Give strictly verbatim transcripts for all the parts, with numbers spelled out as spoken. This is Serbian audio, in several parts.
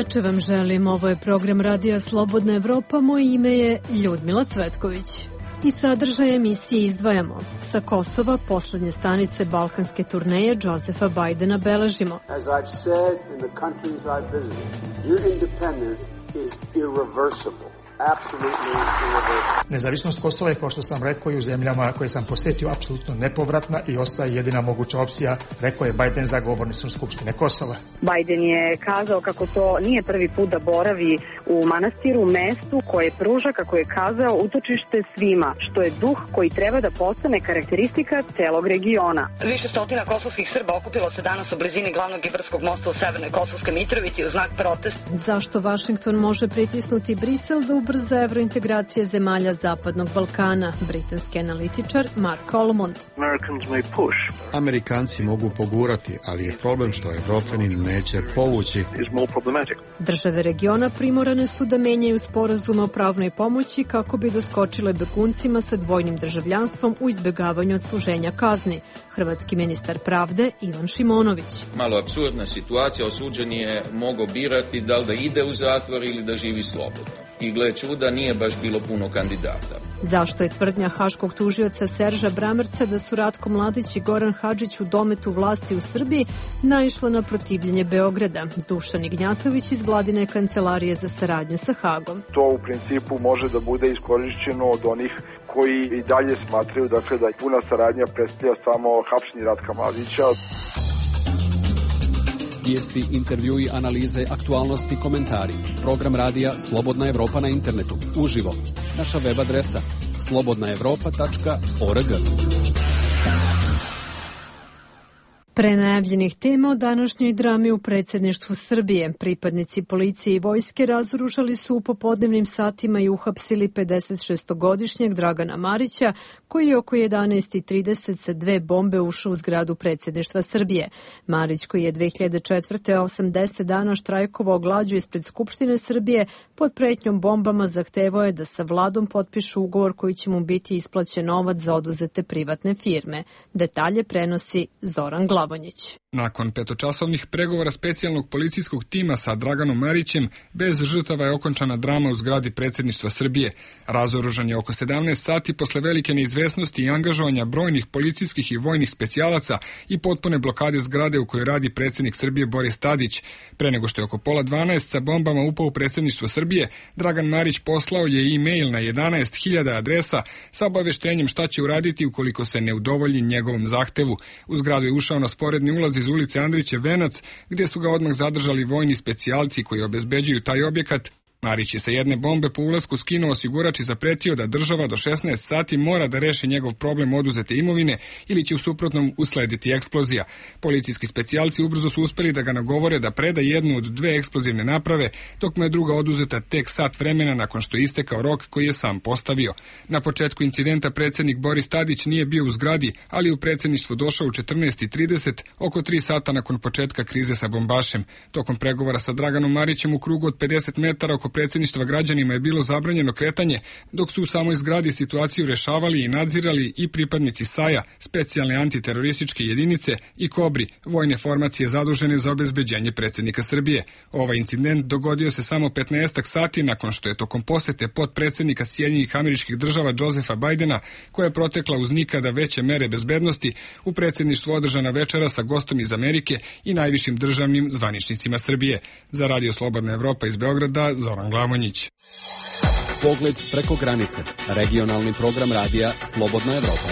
veče vam želim. Ovo je program Radija Slobodna Evropa. Moje ime je Ljudmila Cvetković. I sadržaj emisije izdvajamo. Sa Kosova poslednje stanice balkanske turneje Josefa Bajdena beležimo. As I've said in the countries I've visited, your independence is irreversible. Nezavisnost Kosova je, kao što sam rekao, i u zemljama koje sam posjetio, apsolutno nepovratna i ostaje jedina moguća opcija, rekao je Bajden za govornicom Skupštine Kosova. Bajden je kazao kako to nije prvi put da boravi u manastiru, mestu koje pruža, kako je kazao, utočište svima, što je duh koji treba da postane karakteristika celog regiona. Više stotina kosovskih Srba okupilo se danas u blizini glavnog Ibarskog mosta u Severnoj Kosovskoj Mitrovici u znak protesta. Zašto Vašington može pritisnuti Brisel da ubrza evrointegracije zemalja Zapadnog Balkana? Britanski analitičar Mark Olmond. Amerikanci mogu pogurati, ali je problem što Evropljani neće povući. Države regiona primorane su da menjaju sporazume o pravnoj pomoći kako bi doskočile beguncima sa dvojnim državljanstvom u izbegavanju odsluženja kazni. Hrvatski ministar pravde Ivan Šimonović. Malo apsurdna situacija, osuđen je mogao birati da li da ide u zatvor ili da živi slobodno. I gle čuda, nije baš bilo puno kandidata. Zašto je tvrdnja haškog tužioca Serža Bramerca da su Ratko Mladić i Goran Hadžić u dometu vlasti u Srbiji naišla na protivljenje Beograda? Dušan Ignjatović iz Vladine kancelarije za saradnju sa Hagom. To u principu može da bude iskorišćeno od onih koji i dalje smatraju dakle, da je puna saradnja predstavlja samo hapšenje Ratka Mladića. Vijesti, intervjui, analize, aktualnosti, komentari. Program radija Slobodna Evropa na internetu. Uživo. Naša web adresa slobodna evropa tačka org. Pre najavljenih tema o današnjoj drami u predsjedništvu Srbije. Pripadnici policije i vojske razoružali su u popodnevnim satima i uhapsili pedesetšestogodišnjeg Dragana Marića, koji je oko jedanaest i trideset sa dve bombe ušao u zgradu predsjedništva Srbije. Marić, koji je dve hiljade četvrte osamdeset dana štrajkovao glađu ispred Skupštine Srbije, pod pretnjom bombama zahtevao je da sa vladom potpišu ugovor koji će mu biti isplaćen novac za oduzete privatne firme. Detalje prenosi Zoran Glavonjić. Nakon petočasovnih pregovora specijalnog policijskog tima sa Draganom Marićem, bez žrtava je okončana drama u zgradi predsjedništva Srbije. Razoružan je oko sedamnaest sati posle velike neizvesnosti i angažovanja brojnih policijskih i vojnih specijalaca i potpune blokade zgrade u kojoj radi predsjednik Srbije Boris Tadić. Pre nego što je oko pola dvanaest sa bombama upao u predsjedništvo Srbije, Dragan Marić poslao je e-mail na jedanaest hiljada adresa sa obaveštenjem šta će uraditi ukoliko se ne udovolji njegovom zahtevu. U zgradu je ušao na sporedni ulaz iz ulice Andriće Venac, gdje su ga odmah zadržali vojni specijalci koji obezbeđuju taj objekat. Marić je sa jedne bombe po ulasku skinuo osigurač i zapretio da država do šesnaest sati mora da reši njegov problem oduzete imovine ili će u suprotnom uslediti eksplozija. Policijski specijalci ubrzo su uspeli da ga nagovore da preda jednu od dve eksplozivne naprave, dok mu je druga oduzeta tek sat vremena nakon što je istekao rok koji je sam postavio. Na početku incidenta predsjednik Boris Tadić nije bio u zgradi, ali u predsjedništvo došao u četrnaest i trideset, oko tri sata nakon početka krize sa bombašem. Tokom pregovora sa Draganom Marićem u krugu od pedeset metara oko predsjedništva građanima je bilo zabranjeno kretanje, dok su u samoj zgradi situaciju rešavali i nadzirali i pripadnici S A J-a, specijalne antiterorističke jedinice, i Kobri, vojne formacije zadužene za obezbeđenje predsjednika Srbije. Ovaj incident dogodio se samo petnaestak sati nakon što je tokom posete potpredsjednika Sjedinjenih Američkih Država Josefa Bajdena, koja je protekla uz nikada veće mere bezbednosti, u predsjedništvu održana večera sa gostom iz Amerike i najvišim državnim zvaničnicima Srbije. Za Radio Slobodna Evropa iz Beograda, Zoran Glavonjić. Pogled preko granice. Regionalni program radija Slobodna Evropa.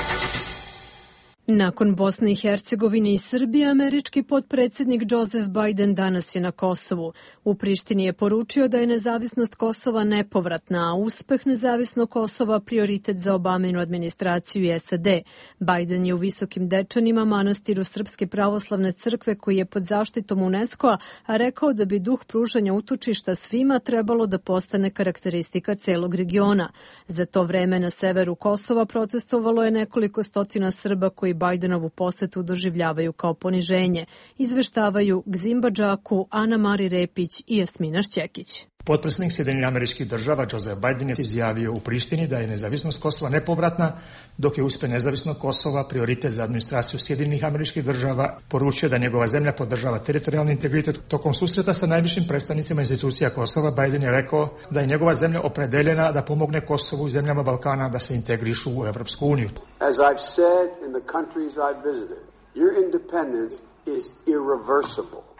Nakon Bosne i Hercegovine i Srbije, američki potpredsjednik Joseph Biden danas je na Kosovu. U Prištini je poručio da je nezavisnost Kosova nepovratna, a uspeh nezavisnog Kosova prioritet za Obaminu administraciju i S A D. Biden je u Visokim Dečanima, manastiru Srpske pravoslavne crkve koji je pod zaštitom UNESCO-a, a rekao da bi duh pružanja utočišta svima trebalo da postane karakteristika celog regiona. Za to vreme na severu Kosova protestovalo je nekoliko stotina Srba koji Bajdenovu posetu doživljavaju kao poniženje, izveštavaju Gzimba Džaku, Ana Mari Repić i Jasmina Šćekić. Potpredsjednik Sjedinjenih Američkih Država Joseph Biden je izjavio u Prištini da je nezavisnost Kosova nepovratna, dok je uspjeh nezavisnog Kosova prioritet za administraciju Sjedinjenih Američkih Država. Poručio da njegova zemlja podržava teritorijalni integritet. Tokom susreta sa najvišim predstavnicima institucija Kosova, Biden je rekao da je njegova zemlja opredeljena da pomogne Kosovu i zemljama Balkana da se integrišu u Evropsku uniju. As I've said in the countries I've visited, your independence is irreversible.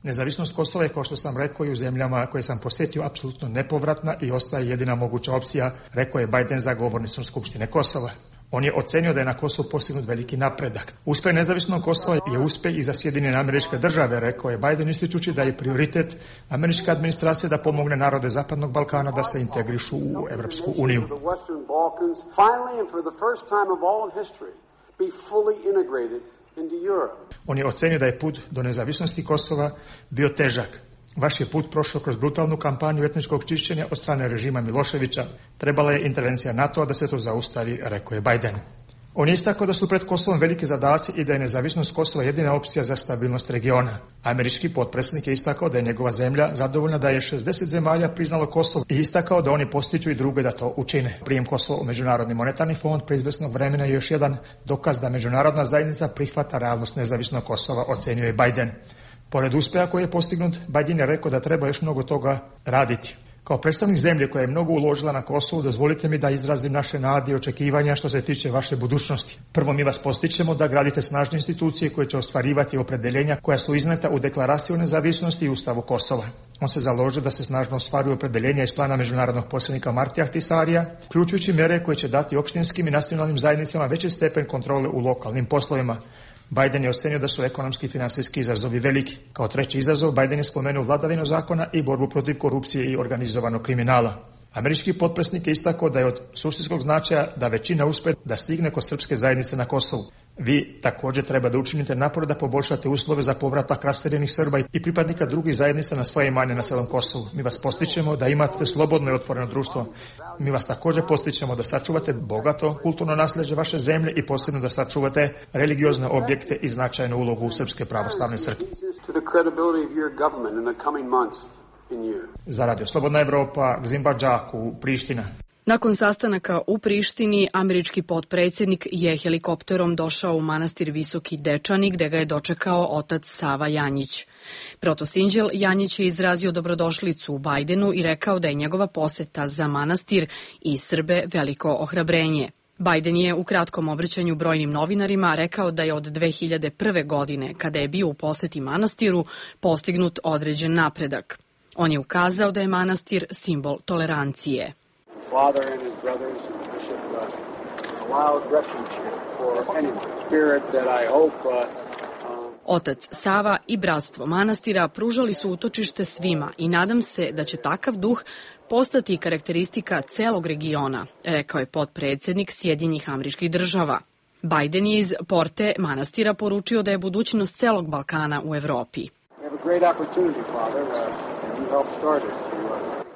Nezavisnost Kosova je, kao što sam rekao, i u zemljama koje sam posjetio, apsolutno nepovratna i ostaje jedina moguća opcija, rekao je Biden za govornicom Skupštine Kosova. On je ocenio da je na Kosovu postignut veliki napredak. Uspjeh nezavisnog Kosova je uspjeh i za Sjedinjene Američke Države, rekao je Biden, ističući da je prioritet američke administracije da pomogne narode Zapadnog Balkana da se integrišu u Evropsku uniju. On je ocenio da je put do nezavisnosti Kosova bio težak. Vaš je put prošao kroz brutalnu kampanju etničkog čišćenja od strane režima Miloševića. Trebala je intervencija NATO-a da se to zaustavi, rekao je Biden. On je istakao da su pred Kosovom veliki zadaci i da je nezavisnost Kosova jedina opcija za stabilnost regiona. Američki potpredsjednik je istakao da je njegova zemlja zadovoljna da je šezdeset zemalja priznalo Kosovo i istakao da oni postiču i druge da to učine. Prijem Kosova u Međunarodni monetarni fond pre izvesnog vremena je još jedan dokaz da međunarodna zajednica prihvata realnost nezavisnog Kosova, ocenio je Biden. Pored uspjeha koji je postignut, Biden je rekao da treba još mnogo toga raditi. Kao predstavnik zemlje koja je mnogo uložila na Kosovu, dozvolite mi da izrazim naše nade i očekivanja što se tiče vaše budućnosti. Prvo, mi vas postičemo da gradite snažne institucije koje će ostvarivati opredeljenja koja su izneta u deklaraciji o nezavisnosti i Ustavu Kosova. On se založio da se snažno ostvaruju opredeljenja iz plana međunarodnog posrednika Martija Ahtisarija, uključujući mjere koje će dati opštinskim i nacionalnim zajednicama veći stepen kontrole u lokalnim poslovima. Biden je ocenio da su ekonomski i finansijski izazovi veliki. Kao treći izazov, Biden je spomenuo vladavinu zakona i borbu protiv korupcije i organizovanog kriminala. Američki potpredsjednik je istakao da je od suštinskog značaja da većina uspe da stigne kod srpske zajednice na Kosovu. Vi također treba da učinite napor da poboljšate uslove za povratak raseljenih Srba i pripadnika drugih zajednica na svoje imanje na celom Kosovu. Mi vas postičemo da imate slobodno i otvoreno društvo. Mi vas također postičemo da sačuvate bogato kulturno nasljeđe vaše zemlje i posebno da sačuvate religiozne objekte i značajnu ulogu Srpske pravoslavne crkve. Za Radio Slobodna Evropa, Gzimba Džaku, Priština. Nakon sastanaka u Prištini, američki potpredsjednik je helikopterom došao u manastir Visoki Dečani, gde ga je dočekao otac Sava Janjić. Protosinđel Janjić je izrazio dobrodošlicu Bajdenu i rekao da je njegova poseta za manastir i Srbe veliko ohrabrenje. Bajden je u kratkom obraćanju brojnim novinarima rekao da je od dve hiljade prve. godine, kada je bio u poseti manastiru, postignut određen napredak. On je ukazao da je manastir simbol tolerancije. Father and his brothers and Bishop uh, allowed refuge here for any spirit that I hope uh, Otac Sava i bratstvo manastira pružali su utočište svima i nadam se da će takav duh postati karakteristika celog regiona, rekao je potpredsjednik Sjedinjenih Američkih Država. Bajden je iz porte manastira poručio da je budućnost celog Balkana u Evropi.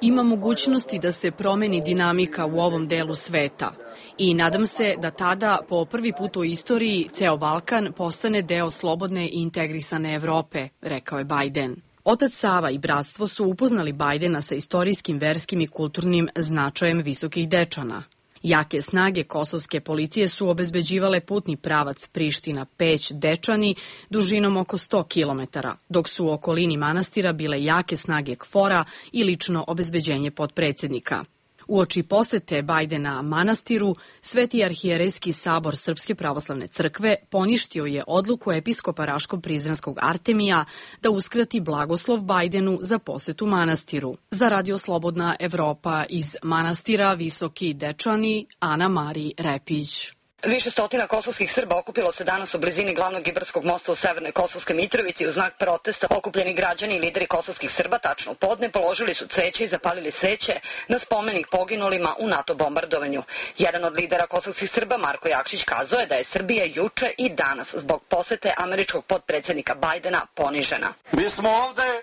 Ima mogućnosti da se promeni dinamika u ovom delu sveta i nadam se da tada po prvi put u istoriji ceo Balkan postane deo slobodne i integrisane Evrope, rekao je Bajden. Otac Sava i bratstvo su upoznali Bajdena sa istorijskim, verskim i kulturnim značajem Visokih Dečana. Jake snage kosovske policije su obezbeđivale putni pravac Priština-Peć-Dečani dužinom oko sto kilometara, dok su u okolini manastira bile jake snage KFOR-a i lično obezbeđenje potpredsjednika. Uoči posete Bajdena manastiru, Sveti arhijerejski sabor Srpske pravoslavne crkve poništio je odluku episkopa Raško-Prizrenskog Artemija da uskrati blagoslov Bajdenu za posetu manastiru. Za Radio Slobodna Evropa iz manastira Visoki Dečani, Ana Mari Repić. Više stotina kosovskih Srba okupilo se danas u blizini glavnog Ibarskog mosta u Severnoj Kosovskoj Mitrovici u znak protesta. Okupljeni građani i lideri kosovskih Srba tačno u podne položili su cveće i zapalili sveće na spomenik poginulima u NATO bombardovanju. Jedan od lidera kosovskih Srba, Marko Jakšić, kazao je da je Srbija juče i danas zbog posete američkog potpredsjednika Bajdena ponižena. Mi smo ovde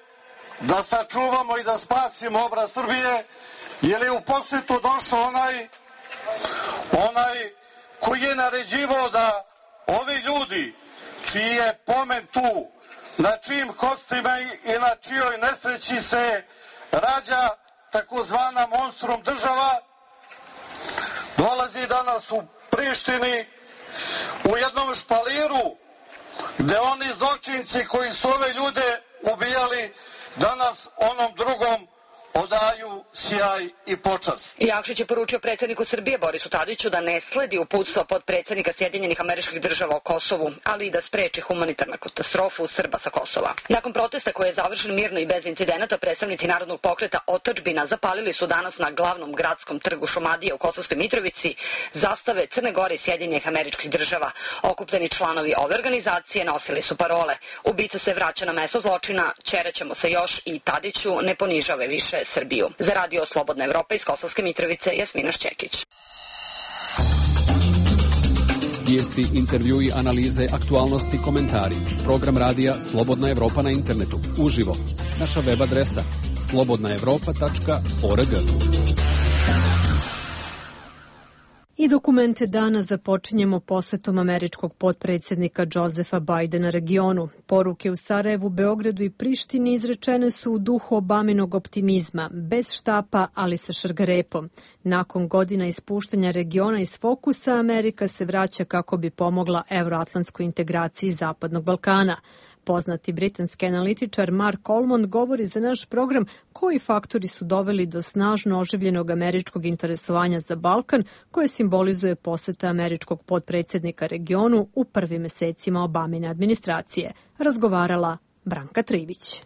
da sačuvamo i da spasimo obraz Srbije, jer je u posetu došao onaj onaj koji je naređivao da ovi ljudi čiji je pomen tu na čijim kostima i na čijoj nesreći se rađa takozvana monstrum država, dolazi danas u Prištini u jednom špaliru gde oni zločinci koji su ove ljude ubijali danas onom drugom odaju sjaj i počast. Jakšić je poručio predsjedniku Srbije Borisu Tadiću da ne sledi uputstva podpredsjednika Sjedinjenih Američkih Država o Kosovu, ali i da spreči humanitarnu katastrofu Srba sa Kosova. Nakon protesta koji je završen mirno i bez incidenata, predstavnici Narodnog pokreta Otadžbina zapalili su danas na glavnom gradskom trgu Šumadije u Kosovskoj Mitrovici zastave Crne Gore i Sjedinjenih Američkih Država. Okupljeni članovi ove organizacije nosili su parole: ubica se vraća na mesto zločina, ćeraćemo se još i Tadiću ne ponižave više Srbiju. Za radio Slobodna Evropa iz Kosovske Mitrovice, Jasmina Šćekić. Vijesti, intervjui, analize, aktualnosti, komentari. Program radija Slobodna Evropa na internetu. Uživo. Naša web adresa slobodna evropa tačka org. I dokumente dana započinjemo posetom američkog potpredsjednika Josefa Bidena regionu. Poruke u Sarajevu, Beogradu i Prištini izrečene su u duhu Obaminog optimizma, bez štapa, ali sa šargarepom. Nakon godina ispuštanja regiona iz fokusa, Amerika se vraća kako bi pomogla euroatlantskoj integraciji Zapadnog Balkana. Poznati britanski analitičar Mark Olmond govori za naš program koji faktori su doveli do snažno oživljenog američkog interesovanja za Balkan, koje simbolizuje poseta američkog potpredsjednika regionu u prvim mesecima Obamine administracije. Razgovarala Branka Trivić.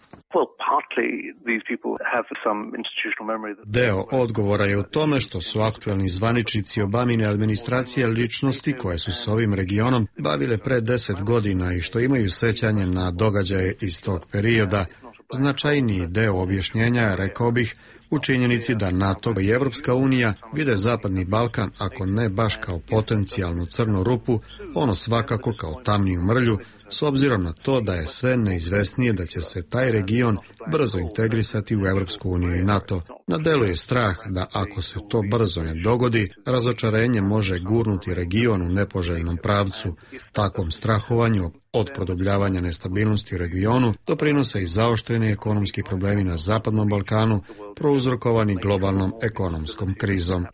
Deo odgovora je u tome što su aktualni zvaničnici Obamine administracije ličnosti koje su s ovim regionom bavile pre deset godina i što imaju sećanje na događaje iz tog perioda. Značajniji deo objašnjenja, rekao bih, u činjenici da NATO i Evropska unija vide Zapadni Balkan, ako ne baš kao potencijalnu crnu rupu, ono svakako kao tamniju mrlju, s obzirom na to da je sve neizvesnije da će se taj region brzo integrisati u Evropsku uniju i NATO. Na delu je strah da ako se to brzo ne dogodi, razočarenje može gurnuti region u nepoželjnom pravcu. Takvom strahovanju od produbljavanja nestabilnosti u regionu doprinose i zaoštreni ekonomski problemi na Zapadnom Balkanu, prouzrokovani globalnom ekonomskom krizom.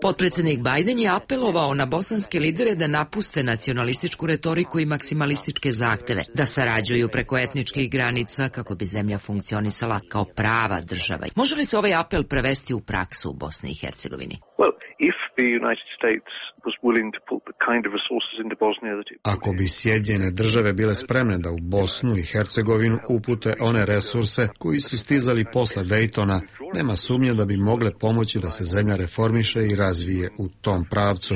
Potpredsjednik Biden je apelovao na bosanske lidere da napuste nacionalističku retoriku i maksimalističke zahteve, da sarađuju preko etničkih granica kako bi zemlja funkcionisala kao prava država. Može li se ovaj apel prevesti u praksu u Bosni i Hercegovini? Ako bi Sjedinjene države bile spremne da u Bosnu i Hercegovinu upute one resurse koji su stizali posle Dejtona, nema sumnje da bi mogle pomoći da se zemlja reformiše i razvije u tom pravcu.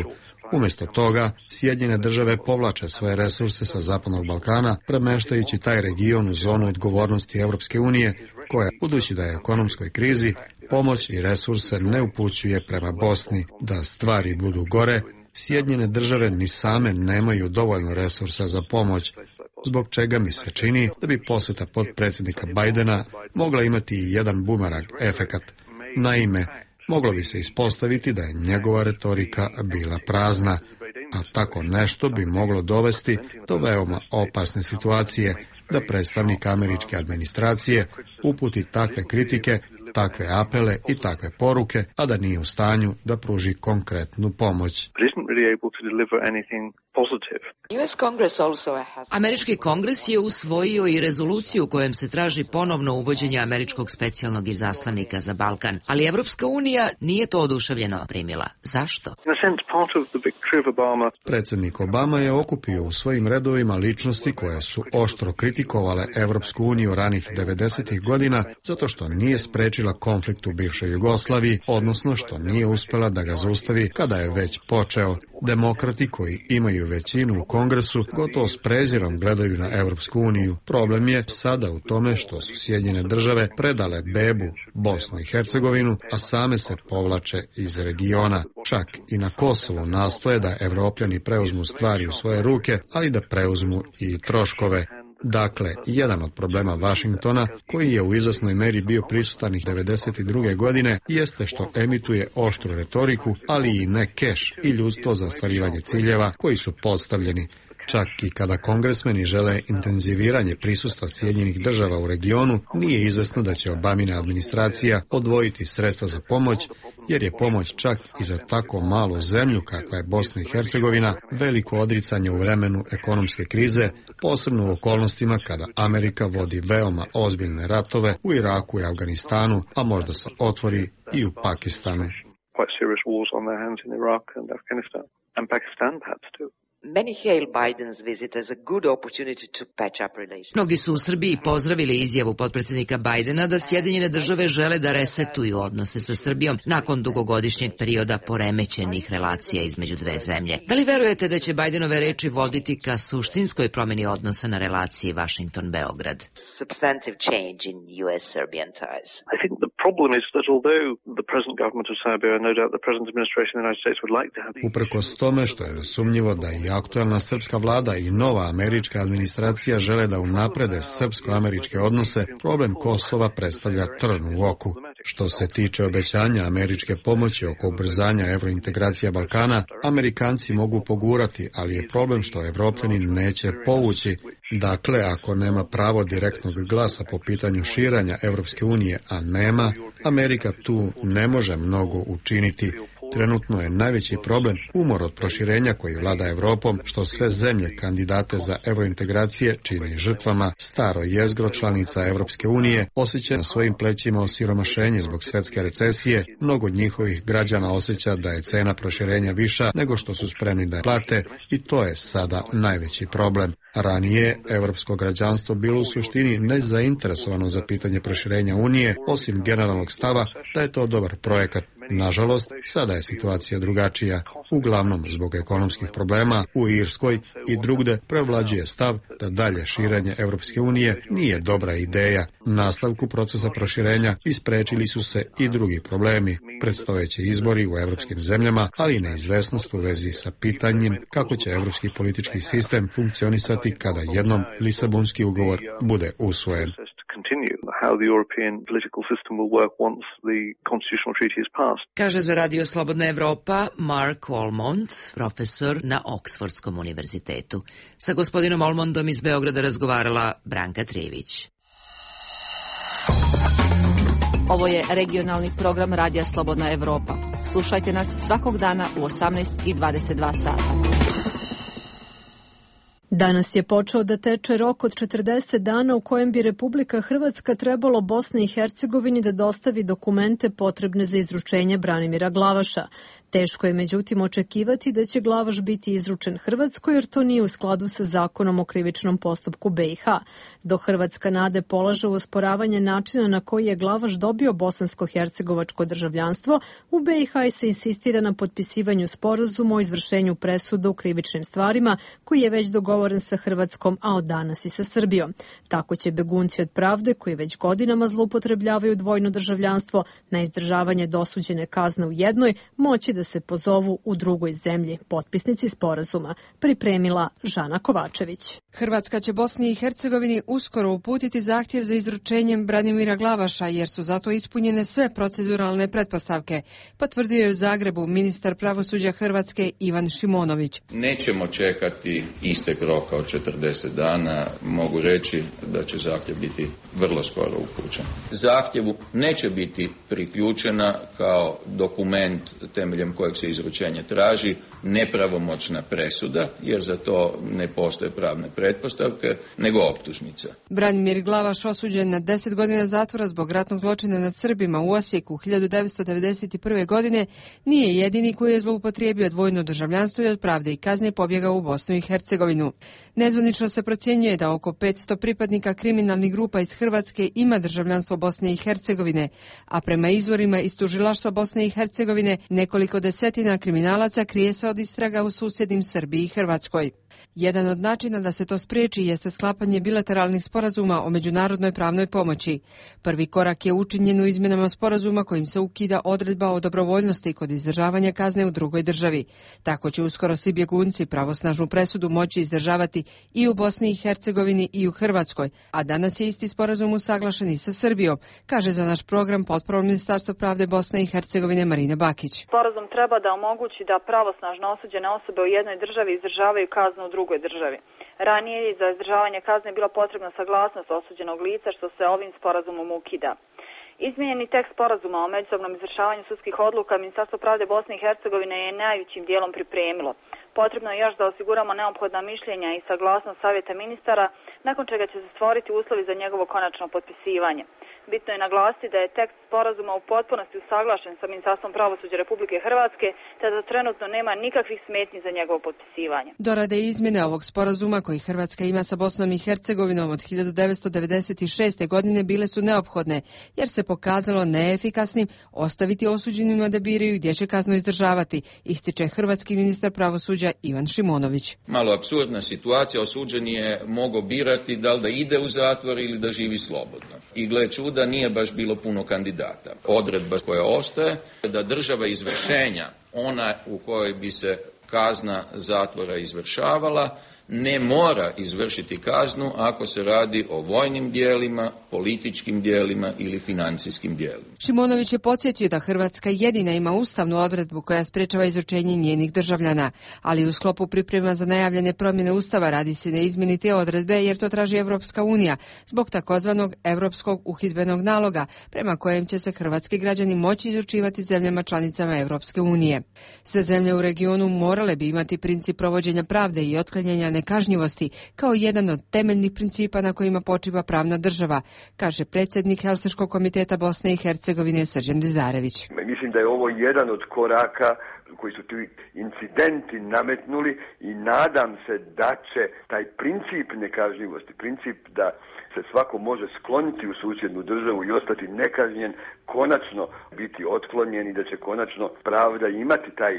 Umjesto toga, Sjedinjene države povlače svoje resurse sa Zapadnog Balkana, premeštajući taj region u zonu odgovornosti Evropske unije, koja, budući da je u ekonomskoj krizi, pomoć i resurse ne upućuje prema Bosni. Da stvari budu gore, Sjedinjene države ni same nemaju dovoljno resursa za pomoć, zbog čega mi se čini da bi poseta potpredsjednika Bidena mogla imati i jedan bumerang efekat. Naime, moglo bi se ispostaviti da je njegova retorika bila prazna, a tako nešto bi moglo dovesti do veoma opasne situacije, da predstavnik američke administracije uputi takve kritike, takve apele i takve poruke, a da nije u stanju da pruži konkretnu pomoć. Američki kongres je usvojio i rezoluciju u kojem se traži ponovno uvođenje američkog specijalnog izaslanika za Balkan, ali Evropska unija nije to oduševljeno primila. Zašto? Predsjednik Obama je okupio u svojim redovima ličnosti koje su oštro kritikovale Evropsku uniju ranih devedesetih godina zato što nije sprečila konflikt u bivšoj Jugoslaviji, odnosno što nije uspela da ga zaustavi kada je već počeo. Demokrati koji imaju većinu u Kongresu gotovo s prezirom gledaju na Evropsku uniju. Problem je sada u tome što su Sjedinjene države predale bebu Bosnu i Hercegovinu, a same se povlače iz regiona. Čak i na Kosovu nastoje da Evropljani preuzmu stvari u svoje ruke, ali da preuzmu i troškove. Dakle, jedan od problema Vašingtona, koji je u izvesnoj meri bio prisutan i devedeset druge godine, jeste što emituje oštru retoriku, ali i ne keš i ljudstvo za ostvarivanje ciljeva koji su postavljeni. Čak i kada kongresmeni žele intenziviranje prisustva Sjedinjenih država u regionu, nije izvesno da će Obamina administracija odvojiti sredstva za pomoć, jer je pomoć čak i za tako malu zemlju kakva je Bosna i Hercegovina veliko odricanje u vremenu ekonomske krize, posebno u okolnostima kada Amerika vodi veoma ozbiljne ratove u Iraku i Afganistanu, a možda se otvori i u Pakistanu. Mnogi su u Srbiji pozdravili izjavu potpredsjednika Bajdena da Sjedinjene države žele da resetuju odnose sa Srbijom nakon dugogodišnjeg perioda poremećenih relacija između dve zemlje. Da li verujete da će Bajdenove reči voditi ka suštinskoj promjeni odnosa na relaciji Washington-Beograd? Substantive change in U S-Serbian ties. I think the problem is that although the present government of Serbia, no doubt the present administration of the United States would like to have... Uprkos tome što je nesumnjivo da i aktualna srpska vlada i nova američka administracija žele da unaprede srpsko-američke odnose, problem Kosova predstavlja trn u oku. Što se tiče obećanja američke pomoći oko ubrzanja evrointegracija Balkana, Amerikanci mogu pogurati, ali je problem što Evropljani neće povući. Dakle, ako nema pravo direktnog glasa po pitanju širanja Evropske unije, a nema, Amerika tu ne može mnogo učiniti. Trenutno je najveći problem umor od proširenja koji vlada Evropom, što sve zemlje kandidate za evrointegracije čini žrtvama. Staro jezgro članica Evropske unije osjeća na svojim plećima osiromašenje zbog svjetske recesije. Mnogo od njihovih građana osjeća da je cena proširenja viša nego što su spremni da je plate i to je sada najveći problem. Ranije, evropsko građanstvo bilo u suštini nezainteresovano za pitanje proširenja Unije, osim generalnog stava da je to dobar projekat. Nažalost, sada je situacija drugačija. Uglavnom, zbog ekonomskih problema u Irskoj i drugde preovlađuje stav da dalje širenje Evropske unije nije dobra ideja. Nastavku procesa proširenja isprečili su se i drugi problemi, predstojeći izbori u evropskim zemljama, ali i neizvesnost u vezi sa pitanjem kako će evropski politički sistem funkcionisati kada jednom Lisabonski ugovor bude usvojen. Kaže za Radio Slobodna Evropa Mark Olmond, profesor na Oksfordskom univerzitetu. Sa gospodinom Olmondom iz Beograda razgovarala Branka Trijević. Ovo je regionalni program Radija Slobodna Evropa. Slušajte nas svakog dana u osamnaest i dvadeset dva sata. Danas je počeo da teče rok od četrdeset dana u kojem bi Republika Hrvatska trebalo Bosni i Hercegovini da dostavi dokumente potrebne za izručenje Branimira Glavaša. Teško je međutim očekivati da će Glavaš biti izručen Hrvatskoj jer to nije u skladu sa zakonom o krivičnom postupku B i H. Dok Hrvatska nade polaže u osporavanje načina na koji je Glavaš dobio bosansko-hercegovačko državljanstvo, u B i H se insistira na potpisivanju sporazuma o izvršenju presuda u krivičnim stvarima koji je već dogovoren sa Hrvatskom, a od danas i sa Srbijom. Tako će begunci od pravde koji već godinama zloupotrebljavaju dvojno državljanstvo na izdržavanje dosuđene kazne u jednoj moći da se pozovu u drugoj zemlji. Potpisnici sporazuma pripremila Žana Kovačević. Hrvatska će Bosni i Hercegovini uskoro uputiti zahtjev za izručenjem Branimira Glavaša jer su zato ispunjene sve proceduralne pretpostavke, potvrdio je u Zagrebu ministar pravosuđa Hrvatske Ivan Šimonović. Nećemo čekati istek roka od četrdeset dana, mogu reći da će zahtjev biti vrlo skoro upućen. Zahtjevu neće biti priključena kao dokument temeljem kojeg se izručenje traži nepravomoćna presuda, jer za to ne postoje pravne pretpostavke, nego optužnica. Branimir Glavaš osuđen na deset godina zatvora zbog ratnog zločina nad Srbima u Osijeku hiljadu devetsto devedeset prve. godine nije jedini koji je zloupotrijebio dvojno državljanstvo i od pravde i kazne pobjegao u Bosnu i Hercegovinu. Nezvanično se procjenjuje da oko petsto pripadnika kriminalnih grupa iz Hrvatske ima državljanstvo Bosne i Hercegovine, a prema izvorima iz tužilaštva Bosne i Hercegovine nekoliko desetina kriminalaca krije se od istraga u susjednim Srbiji i Hrvatskoj. Jedan od načina da se to spriječi jeste sklapanje bilateralnih sporazuma o međunarodnoj pravnoj pomoći. Prvi korak je učinjen u izmjenama sporazuma kojim se ukida odredba o dobrovoljnosti kod izdržavanja kazne u drugoj državi. Tako će uskoro svi bjegunci pravosnažnu presudu moći izdržavati i u Bosni i Hercegovini i u Hrvatskoj, a danas je isti sporazum usaglašen i sa Srbijom, kaže za naš program potporno Ministarstvo pravde Bosne i Hercegovine Marina Bakić. Sporazum treba da omogući da pravosnažno osuđene osobe u jednoj državi izdržavaju kaznu u drugoj državi. Ranije je za izdržavanje kazne bila potrebna saglasnost osuđenog lica, što se ovim sporazumom ukida. Izmijenjeni tekst sporazuma o međusobnom izvršavanju sudskih odluka Ministarstvo pravde Bosne i Hercegovine je najvećim dijelom pripremilo. Potrebno je još da osiguramo neophodna mišljenja i saglasnost Savjeta ministara, nakon čega će se stvoriti uslovi za njegovo konačno potpisivanje. Bitno je naglasiti da je tekst sporazuma u potpunosti usaglašen sa Ministarstvom pravosuđa Republike Hrvatske, te da trenutno nema nikakvih smetnji za njegovo potpisivanje. Dorade i izmjene ovog sporazuma koji Hrvatska ima sa Bosnom i Hercegovinom od hiljadu devetsto devedeset šeste. godine bile su neophodne, jer se pokazalo neefikasnim ostaviti osuđenima da biraju gdje će kaznu izdržavati, ističe hrvatski ministar pravosuđa Ivan Šimonović. Malo apsurdna situacija, osuđeni je mogao birati da li da ide u zatvor ili da živi slobodno. I gle čuda, nije baš bilo puno kandidata. Odredba koja ostaje da država izvršenja, ona u kojoj bi se kazna zatvora izvršavala, ne mora izvršiti kaznu ako se radi o vojnim dijelima, političkim dijelima ili financijskim dijelima. Šimonović je podsjetio da Hrvatska jedina ima ustavnu odredbu koja sprečava izručenje njenih državljana, ali u sklopu priprema za najavljene promjene ustava radi se na izmjeni te odredbe jer to traži Evropska unija zbog takozvanog Europskog uhidbenog naloga prema kojem će se hrvatski građani moći izručivati zemljama članicama Evropske unije. Sve zemlje u regionu morale bi imati princip provođenja pravde i otklanjanja nekažnjivosti kao jedan od temeljnih principa na kojima počiva pravna država, kaže predsjednik Helsinškog komiteta Bosne i Hercegovine Srđan Dizdarević. Mislim da je ovo jedan od koraka koji su ti incidenti nametnuli i nadam se da će taj princip nekažnjivosti, princip da se svako može skloniti u susjednu državu i ostati nekažnjen, konačno biti otklonjen i da će konačno pravda imati taj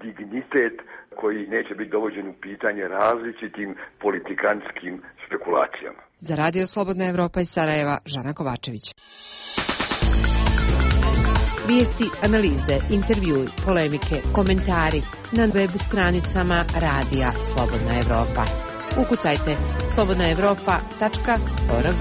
dignitet koji neće biti dovođen u pitanje različitim politikanskim spekulacijama. Za Radio Slobodna Evropa iz Sarajeva, Žana Kovačević. Vijesti, analize, intervjui, polemike, komentari na web stranicama Radija Slobodna Evropa. Ukucajte slobodna evropa tačka org.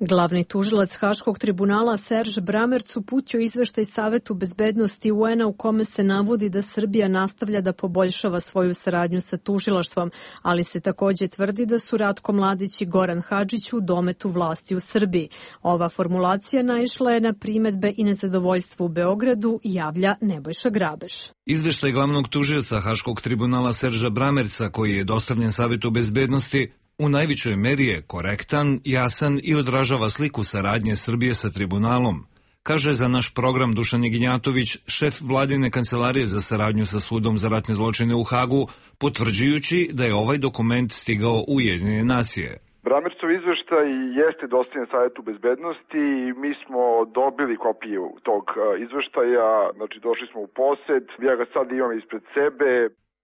Glavni tužilac Haškog tribunala Serž Bramerc uputio izveštaj Savetu bezbednosti U N-a u kome se navodi da Srbija nastavlja da poboljšava svoju saradnju sa tužilaštvom, ali se također tvrdi da su Ratko Mladić i Goran Hadžić u dometu vlasti u Srbiji. Ova formulacija naišla je na primedbe i nezadovoljstvo u Beogradu, javlja Nebojša Grabeš. Izveštaj glavnog tužioca Haškog tribunala Serža Bramerca, koji je dostavljen Savetu bezbednosti, u najvećoj meri je korektan, jasan i odražava sliku saradnje Srbije sa tribunalom, kaže za naš program Dušan Ignjatović, šef vladine kancelarije za saradnju sa sudom za ratne zločine u Hagu, potvrđujući da je ovaj dokument stigao u Ujedinjene nacije. Bramercov izveštaj jeste dostavljen Savetu bezbednosti i mi smo dobili kopiju tog izveštaja, znači došli smo u posed, ja ga sad imam ispred sebe.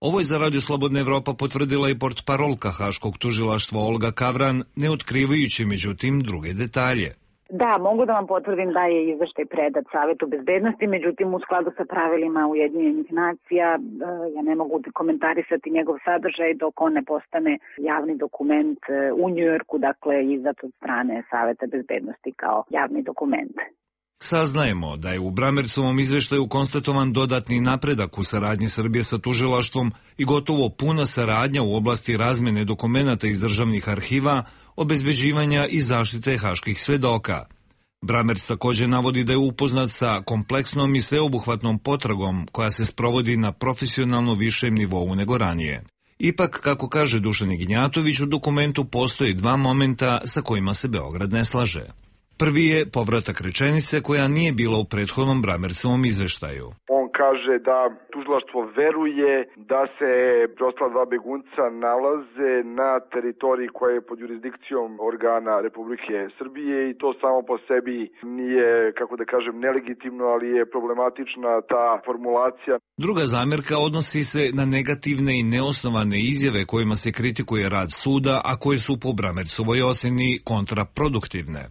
Ovo je za Radio Slobodna Evropa potvrdila i portparolka Haškog tužilaštva Olga Kavran, ne otkrivajući međutim druge detalje. Da, mogu da vam potvrdim da je izveštaj predat Savetu bezbednosti, međutim u skladu sa pravilima Ujedinjenih nacija ja ne mogu komentarisati njegov sadržaj dok on ne postane javni dokument u Njujorku, dakle izdat od strane Saveta bezbednosti kao javni dokument. Saznajemo da je u Bramercovom izveštaju konstatovan dodatni napredak u saradnji Srbije sa tužilaštvom i gotovo puna saradnja u oblasti razmene dokumenata iz državnih arhiva, obezbeđivanja i zaštite haških svedoka. Bramerc također navodi da je upoznat sa kompleksnom i sveobuhvatnom potragom koja se sprovodi na profesionalno višem nivou nego ranije. Ipak, kako kaže Dušan Ignjatović, u dokumentu postoji dva momenta sa kojima se Beograd ne slaže. Prvi je povratak rečenice koja nije bila u prethodnom Bramercovom izveštaju. On On kaže da tužilaštvo veruje da se preostala dva begunca nalaze na teritoriji koja je pod jurisdikcijom organa Republike Srbije i to samo po sebi nije, kako da kažem, nelegitimno, ali je problematična ta formulacija. Druga zamjerka odnosi se na negativne i neosnovane izjave kojima se kritikuje rad suda, a koje su po Bramercovoj oceni kontraproduktivne.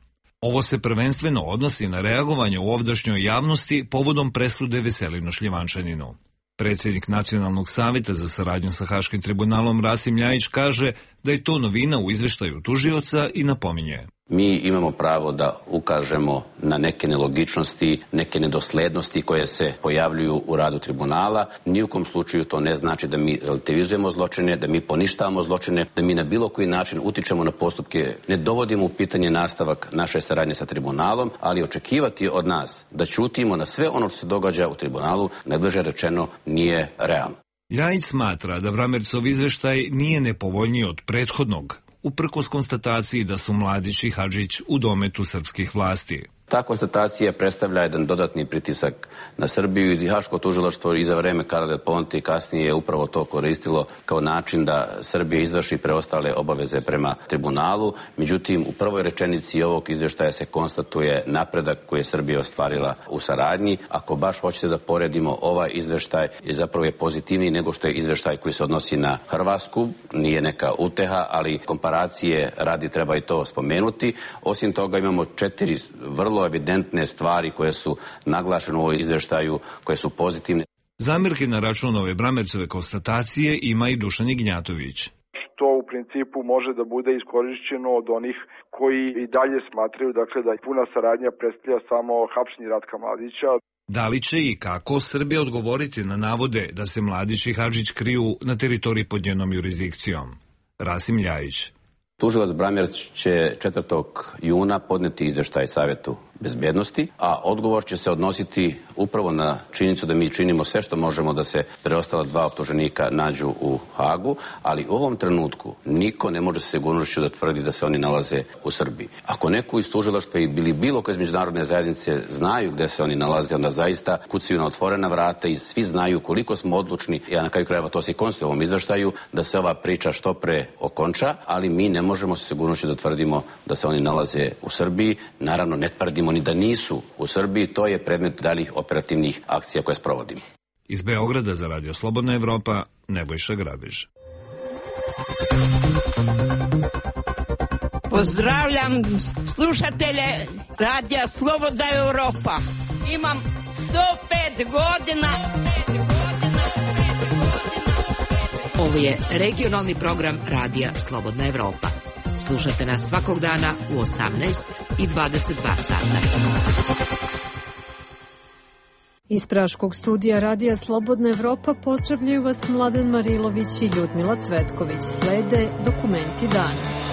Ovo se prvenstveno odnosi na reagovanje u ovdašnjoj javnosti povodom presude Veselinu Šljivančaninu. Predsjednik Nacionalnog savjeta za saradnju sa Haškim tribunalom Rasim Ljajić kaže da je to novina u izveštaju tužioca i napominje. Mi imamo pravo da ukažemo na neke nelogičnosti, neke nedoslednosti koje se pojavljuju u radu tribunala. Ni u kom slučaju to ne znači da mi relativizujemo zločine, da mi poništavamo zločine, da mi na bilo koji način utičemo na postupke, ne dovodimo u pitanje nastavak naše saradnje sa tribunalom, ali očekivati od nas da ćutimo na sve ono što se događa u tribunalu, najbliže rečeno, nije realno. Ljajić smatra da Bramercov izveštaj nije nepovoljniji od prethodnog, uprkos konstataciji da su Mladić i Hadžić u dometu srpskih vlasti. Ta konstatacija predstavlja jedan dodatni pritisak na Srbiju i Haško tužilaštvo i za vreme Carla Del Ponte i kasnije je upravo to koristilo kao način da Srbija izvrši preostale obaveze prema tribunalu. Međutim, u prvoj rečenici ovog izveštaja se konstatuje napredak koji je Srbija ostvarila u saradnji. Ako baš hoćete da poredimo, ovaj izveštaj je zapravo je pozitivniji nego što je izveštaj koji se odnosi na Hrvatsku. Nije neka uteha, ali komparacije radi treba i to spomenuti. Osim toga imamo četiri vrlo evidentne stvari koje su naglašene u ovoj izveštaju, koje su pozitivne. Zamjerke na račun ove Bramercove konstatacije ima i Dušan Ignjatović. To u principu može da bude iskorišćeno od onih koji i dalje smatraju dakle, da puna saradnja predstavlja samo hapšenje Ratka Mladića. Da li će i kako Srbija odgovoriti na navode da se Mladić i Hadžić kriju na teritoriji pod njenom jurisdikcijom? Rasim Ljajić. Tužilac Bramerc će četvrtog juna podneti izveštaj Savjetu bezbednosti, a odgovor će se odnositi upravo na činjenicu da mi činimo sve što možemo da se preostala dva optuženika nađu u Hagu, ali u ovom trenutku niko ne može sa sigurnošću da tvrdi da se oni nalaze u Srbiji. Ako neko iz tužilaštva ili bilo ko iz međunarodne zajednice znaju gde se oni nalaze, onda zaista kucaju na otvorena vrata i svi znaju koliko smo odlučni, ja na kraju krajeva to se i konstatuje u ovom izveštaju, da se ova priča što pre okonča, ali mi ne možemo sa sigurnošću da tvrdimo da se oni nalaze u Srbiji. Naravno, ne tvrdimo ni da nisu u Srbiji, to je predmet daljih operativnih akcija koje sprovodimo. Iz Beograda za Radio Slobodna Evropa, Nebojša Grabež. Pozdravljam slušatelje Radija Slobodna Evropa. Imam sto pet godina. Ovo je regionalni program Radija Slobodna Evropa. Slušate nas svakog dana u osamnaest i dvadeset dva sata. Iz Praškog studija Radija Slobodna Evropa pozdravljaju vas Mladen Marilović i Ljudmila Cvetković. Slede dokumenti dana.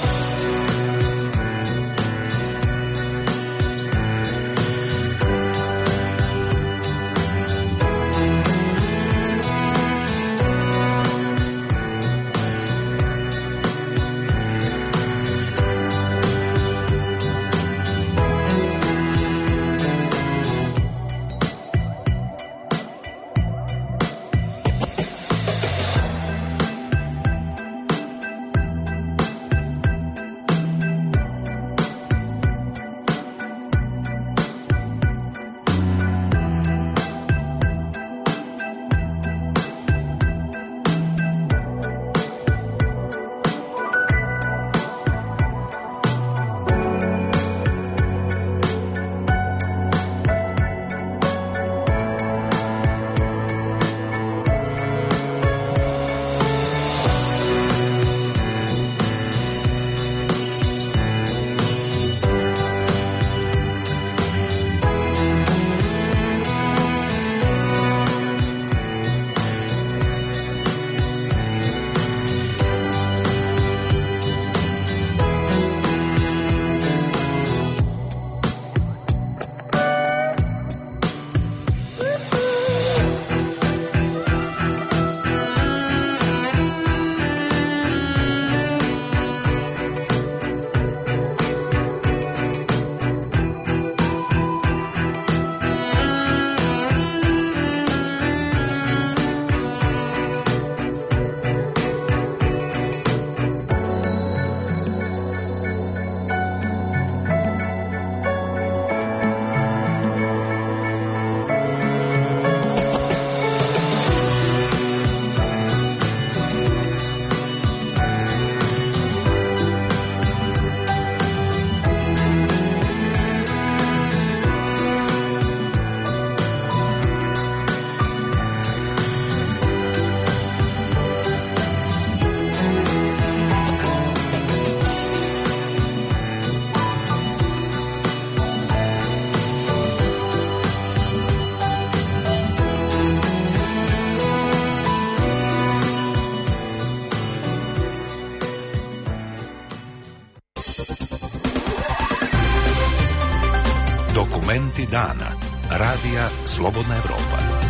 Dokumenti dana. Radija Slobodna Evropa.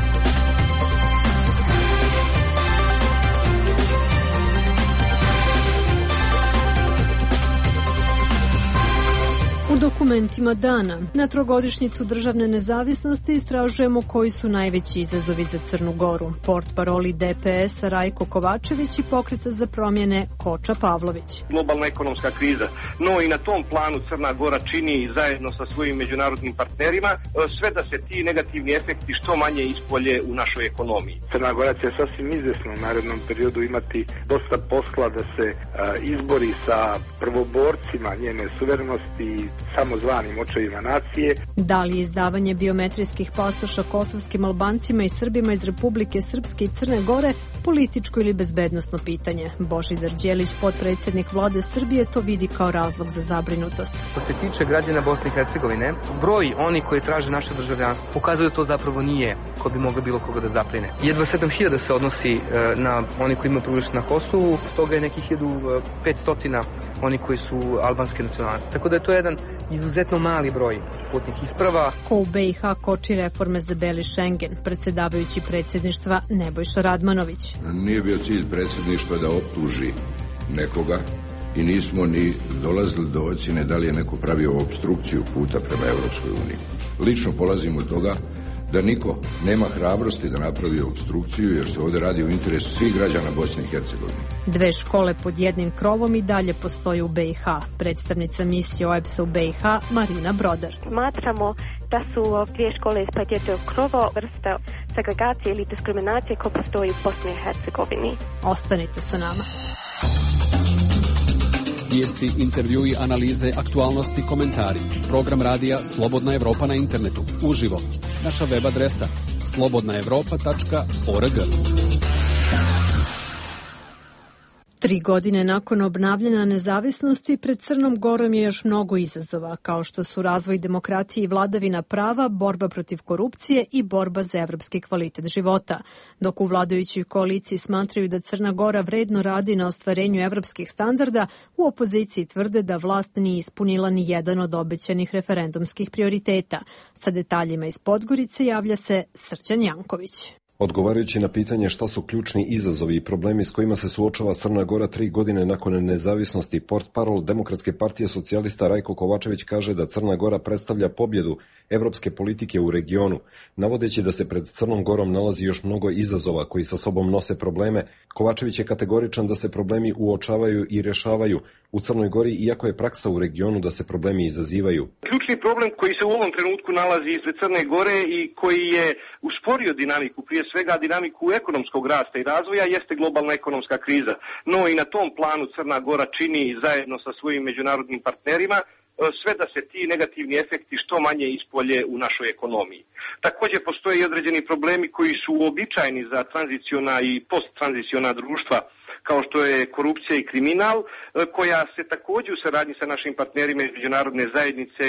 U dokumentima dana, na trogodišnjicu državne nezavisnosti istražujemo koji su najveći izazovi za Crnu Goru. Portparoli D P S-a Rajko Kovačević i Pokreta za promjene Koča Pavlović. Globalna ekonomska kriza, no i na tom planu Crna Gora čini zajedno sa svojim međunarodnim partnerima sve da se ti negativni efekti što manje ispolje u našoj ekonomiji. Crna Gora će sasvim izvesno u narednom periodu imati dosta posla da se a, izbori sa prvoborcima njene suverenosti, samozvanim očevima nacije. Da li izdavanje biometrijskih pasoša kosovskim Albancima i Srbima iz Republike Srpske i Crne Gore političko ili bezbednosno pitanje? Božidar Đelić, potpredsjednik vlade Srbije, to vidi kao razlog za zabrinutost. Što se tiče građana Bosne i Hercegovine, broj oni koji traže naše državljanstvo pokazuju da to zapravo nije ko bi moglo bilo koga da zapline. Jedva sedam hiljada se odnosi na oni koji imaju prebivalište na Kosovu, toga je nekih hiljadu petsto oni koji su albanske nacionalnosti. Tako da je to jedan izuzetno mali broj putnih isprava. Ko u B i H koči reforme za beli Šengen, predsjedavajući predsjedništva Nebojša Radmanović. Nije bio cilj predsjedništva da optuži nekoga i nismo ni dolazili do ocjene da li je neko pravio obstrukciju puta prema Europskoj uniji. Lično polazim od toga da niko nema hrabrosti da napravi obstrukciju, jer se ovdje radi o interesu svih građana Bosne i Hercegovine. Dve škole pod jednim krovom i dalje postoje u B i H. Predstavnica misije O E B S-a u B i H Marina Brodar. Smatramo da su dvije škole pod jednog krova vrsta segregacije ili diskriminacije koja postoji u Bosni i Hercegovini. Ostanite sa nama. Vijesti, intervjui, analize, aktualnosti, komentari. Program radija Slobodna Evropa na internetu. Uživo. Naša web adresa slobodna evropa tačka org. Tri godine nakon obnavljanja nezavisnosti pred Crnom Gorom je još mnogo izazova, kao što su razvoj demokratije i vladavina prava, borba protiv korupcije i borba za evropski kvalitet života. Dok u vladajućoj koaliciji smatraju da Crna Gora vredno radi na ostvarenju evropskih standarda, u opoziciji tvrde da vlast nije ispunila ni jedan od obećanih referendumskih prioriteta. Sa detaljima iz Podgorice javlja se Srđan Janković. Odgovarajući na pitanje šta su ključni izazovi i problemi s kojima se suočava Crna Gora tri godine nakon nezavisnosti, portparol Demokratske partije socijalista Rajko Kovačević kaže da Crna Gora predstavlja pobjedu evropske politike u regionu. Navodeći da se pred Crnom Gorom nalazi još mnogo izazova koji sa sobom nose probleme, Kovačević je kategoričan da se problemi uočavaju i rješavaju u Crnoj Gori, iako je praksa u regionu da se problemi izazivaju. Ključni problem koji se u ovom trenutku nalazi ispred Crne Gore i koji je usporio dinamiku, prije svega dinamiku ekonomskog rasta i razvoja, jeste globalna ekonomska kriza. No i na tom planu Crna Gora čini zajedno sa svojim međunarodnim partnerima sve da se ti negativni efekti što manje ispolje u našoj ekonomiji. Također postoje i određeni problemi koji su uobičajeni za tranziciona i posttranziciona društva, kao što je korupcija i kriminal, koja se također u saradnji sa našim partnerima iz međunarodne zajednice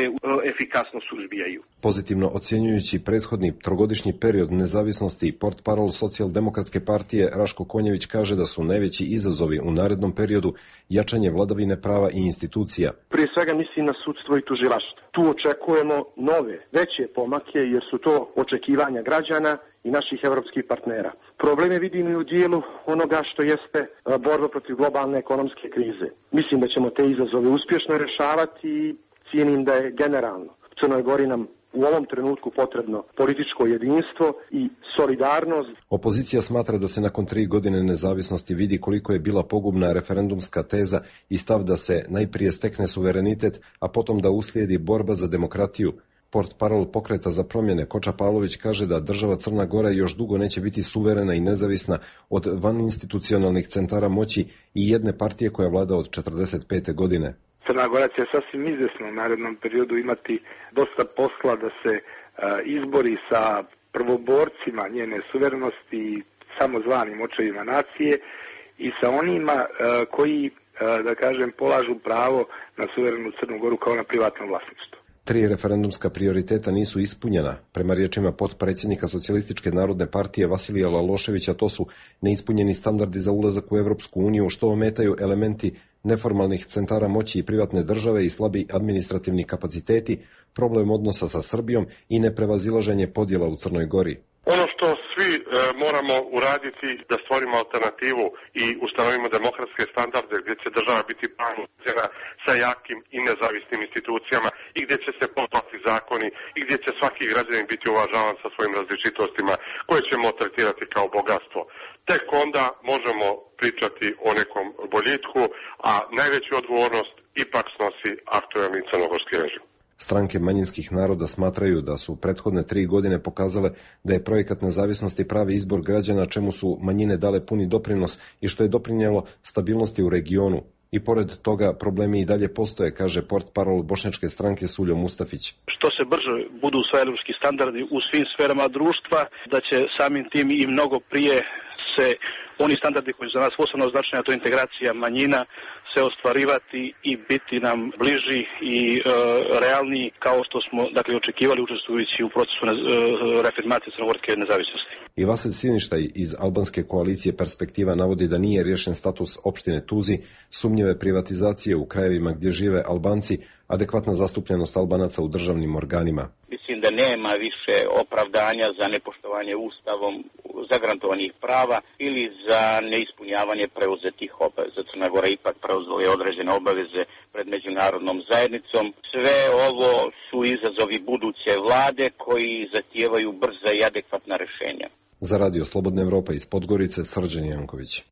efikasno suzbijaju. Pozitivno ocjenjujući prethodni trogodišnji period nezavisnosti, portparol Socijaldemokratske partije Raško Konjević kaže da su najveći izazovi u narednom periodu jačanje vladavine prava i institucija. Prije svega mislim na sudstvo i tužilaštvo. Tu očekujemo nove, veće pomake jer su to očekivanja građana i naših evropskih partnera. Probleme vidim i u dijelu onoga što jeste borba protiv globalne ekonomske krize. Mislim da ćemo te izazove uspješno rješavati i cijenim da je generalno u Crnoj Gori nam u ovom trenutku potrebno političko jedinstvo i solidarnost. Opozicija smatra da se nakon tri godine nezavisnosti vidi koliko je bila pogubna referendumska teza i stav da se najprije stekne suverenitet, a potom da uslijedi borba za demokratiju. Portparol Pokreta za promjene Koča Pavlović kaže da država Crna Gora još dugo neće biti suverena i nezavisna od vaninstitucionalnih centara moći i jedne partije koja vlada od četrdeset pete godine. Crna Gora će sasvim izvesno u narednom periodu imati dosta posla da se a, izbori sa prvoborcima njene suverenosti i samozvanim očevima nacije i sa onima a, koji, a, da kažem, polažu pravo na suverenu Crnu Goru kao na privatno vlasništvo. Tri referendumska prioriteta nisu ispunjena. Prema riječima potpredsjednika Socijalističke narodne partije Vasilija Laloševića, to su neispunjeni standardi za ulazak u Evropsku uniju, što ometaju elementi neformalnih centara moći i privatne države i slabi administrativni kapaciteti, problem odnosa sa Srbijom i neprevazilaženje podjela u Crnoj Gori. Ono što svi e, moramo uraditi da stvorimo alternativu i ustanovimo demokratske standarde gdje će država biti pravna sa jakim i nezavisnim institucijama i gdje će se poštovati zakoni i gdje će svaki građanin biti uvažavan sa svojim različitostima koje ćemo tretirati kao bogatstvo. Tek onda možemo pričati o nekom boljitku, a najveću odgovornost ipak snosi aktuelni crnogorski režim. Stranke manjinskih naroda smatraju da su prethodne tri godine pokazale da je projekat nezavisnosti pravi izbor građana, čemu su manjine dale puni doprinos i što je doprinjelo stabilnosti u regionu. I pored toga problemi i dalje postoje, kaže portparol bošnjačke stranke Suljo Mustafić. Što se brže budu usvajali evropski standardi u svim sferama društva, da će samim tim i mnogo prije se oni standardi koji su za nas posebno značajni, a to je integracija manjina, se ostvarivati i biti nam bliži i e, realniji kao što smo dakle očekivali učestvujući u procesu e, reafirmacije crnogorske nezavisnosti. I Vasilj Siništaj iz albanske koalicije Perspektiva navodi da nije riješen status opštine Tuzi, sumnjive privatizacije u krajevima gdje žive Albanci, adekvatna zastupljenost Albanaca u državnim organima. Mislim da nema više opravdanja za nepoštovanje ustavom zagarantovanih prava ili za neispunjavanje preuzetih obaveza. Crna Gora ipak preuzela je određene obaveze pred međunarodnom zajednicom. Sve ovo su izazovi buduće vlade koji zahtijevaju brza i adekvatna rešenja. Za Radio Slobodna Evropa iz Podgorice, Srđan Janković.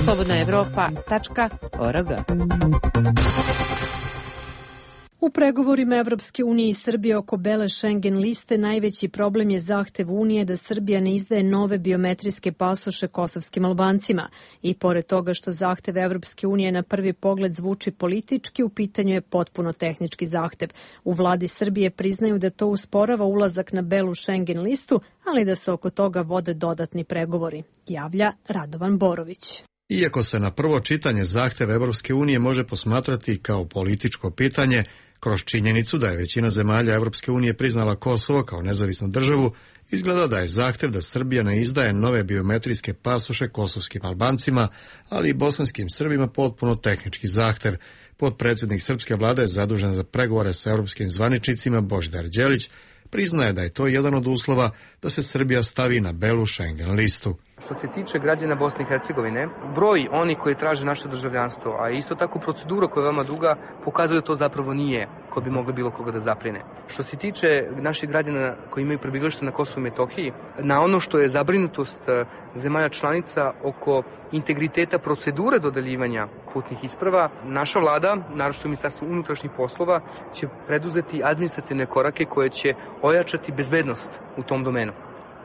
slobodna evropa tačka org. U pregovorima Evropske unije i Srbije oko bele Schengen liste najveći problem je zahtev Unije da Srbija ne izdaje nove biometrijske pasoše kosovskim Albancima. I pored toga što zahtev Evropske unije na prvi pogled zvuči politički, u pitanju je potpuno tehnički zahtev. U vladi Srbije priznaju da to usporava ulazak na belu Schengen listu, ali da se oko toga vode dodatni pregovori, javlja Radovan Borović. Iako se na prvo čitanje zahtev Evropske unije može posmatrati kao političko pitanje, kroz činjenicu da je većina zemalja Evropske unije priznala Kosovo kao nezavisnu državu, izgleda da je zahtev da Srbija ne izdaje nove biometrijske pasoše kosovskim Albancima, ali i bosanskim Srbima potpuno tehnički zahtev. Potpredsjednik srpske vlade zadužen za pregovore sa europskim zvaničnicima Božidar Đelić priznaje da je to jedan od uslova da se Srbija stavi na belu Schengen listu. Što se tiče građana Bosne i Hercegovine, broj oni koji traže naše državljanstvo, a isto tako procedura koja je veoma duga, pokazuje da to zapravo nije ko bi moglo bilo koga da zaprine. Što se tiče naših građana koji imaju prebivalište na Kosovu i Metohiji, na ono što je zabrinutost zemalja članica oko integriteta procedure dodeljivanja putnih isprava, naša vlada, naročito Ministarstvo unutrašnjih poslova, će preduzeti administrativne korake koje će ojačati bezbednost u tom domenu.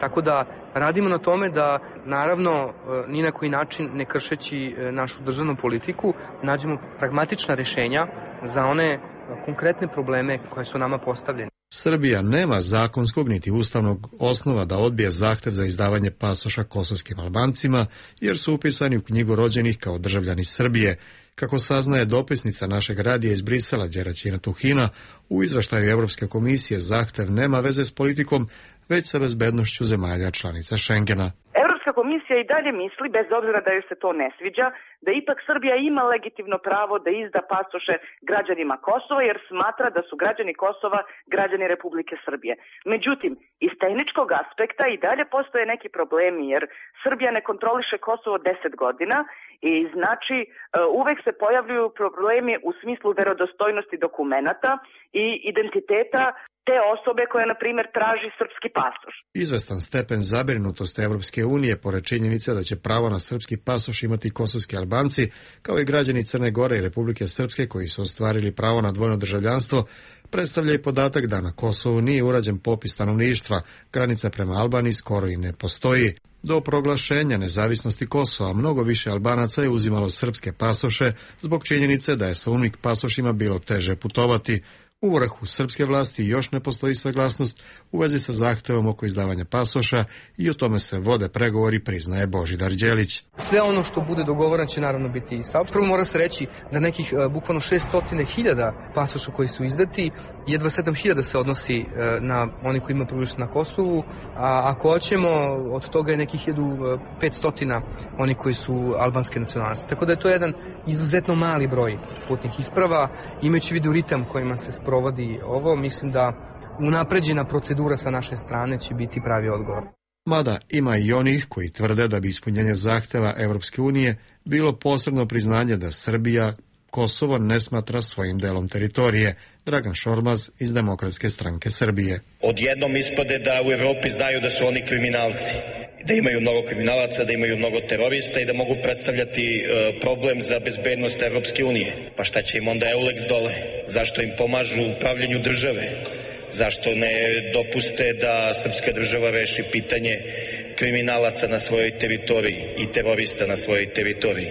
Tako da radimo na tome da, naravno, ni na koji način ne kršeći našu državnu politiku, nađemo pragmatična rješenja za one konkretne probleme koje su nama postavljene. Srbija nema zakonskog niti ustavnog osnova da odbije zahtev za izdavanje pasoša kosovskim Albancima, jer su upisani u knjigu rođenih kao državljani Srbije. Kako saznaje dopisnica našeg radija iz Brisela Đeraćina Tuhina, u izveštaju Evropske komisije zahtev nema veze s politikom, već sa bezbednošću zemalja članica Schengena. Evropska komisija i dalje misli, bez obzira da joj se to ne sviđa, da ipak Srbija ima legitimno pravo da izda pasoše građanima Kosova, jer smatra da su građani Kosova građani Republike Srbije. Međutim, iz tehničkog aspekta i dalje postoje neki problemi, jer Srbija ne kontroliše Kosovo deset godina i znači uvek se pojavljuju problemi u smislu verodostojnosti dokumenata i identiteta te osobe koja, na primjer, traži srpski pasoš. Izvestan stepen zabrinutosti Evropske unije pored činjenice da će pravo na srpski pasoš imati kosovski Albanci, kao i građani Crne Gore i Republike Srpske koji su ostvarili pravo na dvojno državljanstvo, predstavlja i podatak da na Kosovu nije urađen popis stanovništva, granica prema Albaniji skoro i ne postoji. Do proglašenja nezavisnosti Kosova mnogo više Albanaca je uzimalo srpske pasoše zbog činjenice da je sa unik pasošima bilo teže putovati. U vrhu srpske vlasti još ne postoji saglasnost u vezi sa zahtevom oko izdavanja pasoša i o tome se vode pregovori, priznaje Božidar Đelić. Sve ono što bude dogovoreno će naravno biti i saopšteno. Prvo mora se reći da nekih uh, bukvalno šesto hiljada pasoša koji su izdati, jedva sedam hiljada se odnosi uh, na oni koji imaju prebivalište na Kosovu, a ako hoćemo, od toga je nekih nekih hiljadu petsto oni koji su albanske nacionalnosti. Tako da je to jedan izuzetno mali broj putnih isprava. Imajući vidu ritam kojima se sprovodi ovo, mislim da unapređena procedura sa naše strane će biti pravi odgovor. Mada ima i onih koji tvrde da bi ispunjenje zahteva Evropske unije bilo posebno priznanje da Srbija Kosovo ne smatra svojim delom teritorije. Dragan Šormaz iz Demokratske stranke Srbije. Odjednom ispade da u Evropi znaju da su oni kriminalci, da imaju mnogo kriminalaca, da imaju mnogo terorista i da mogu predstavljati e, problem za bezbednost Evropske unije. Pa šta će im onda Euleks dole? Zašto im pomažu u upravljanju države? Zašto ne dopuste da srpska država reši pitanje kriminalaca na svojoj teritoriji i terorista na svojoj teritoriji?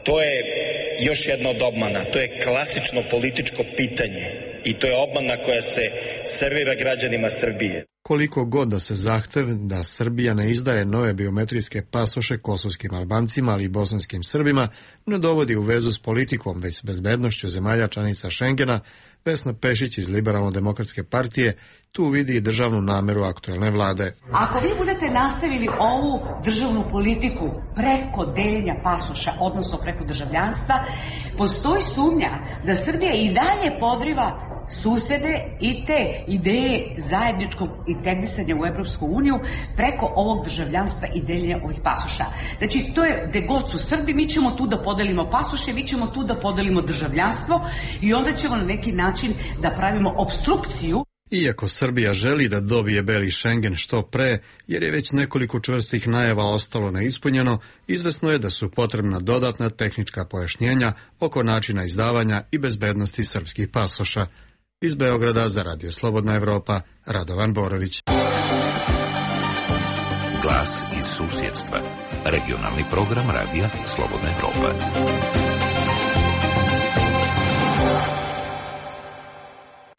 To je još jedna od obmana. To je klasično političko pitanje i to je obmana koja se servira građanima Srbije. Koliko god da se zahtev da Srbija ne izdaje nove biometrijske pasoše kosovskim Albancima, ali i bosanskim Srbima, ne dovodi u vezu s politikom, već s bezbednošću zemalja članica Šengena, Vesna Pešić iz Liberalno-demokratske partije tu vidi i državnu nameru aktuelne vlade. Ako vi budete nastavili ovu državnu politiku preko deljenja pasoša, odnosno preko državljanstva, postoji sumnja da Srbija i dalje podriva susede i te ideje zajedničkog integrisanja u Evropsku uniju preko ovog državljanstva i deljenja ovih pasoša. Znači, to je gde god su Srbi, mi ćemo tu da podelimo pasoše, mi ćemo tu da podelimo državljanstvo i onda ćemo na neki način da pravimo obstrukciju. Iako Srbija želi da dobije beli Šengen što pre, jer je već nekoliko čvrstih najava ostalo neispunjeno, izvesno je da su potrebna dodatna tehnička pojašnjenja oko načina izdavanja i bezbednosti srpskih pasoša. Iz Beograda za Radio Slobodna Evropa, Radovan Borović. Glas iz susjedstva. Regionalni program Radija Slobodna Evropa.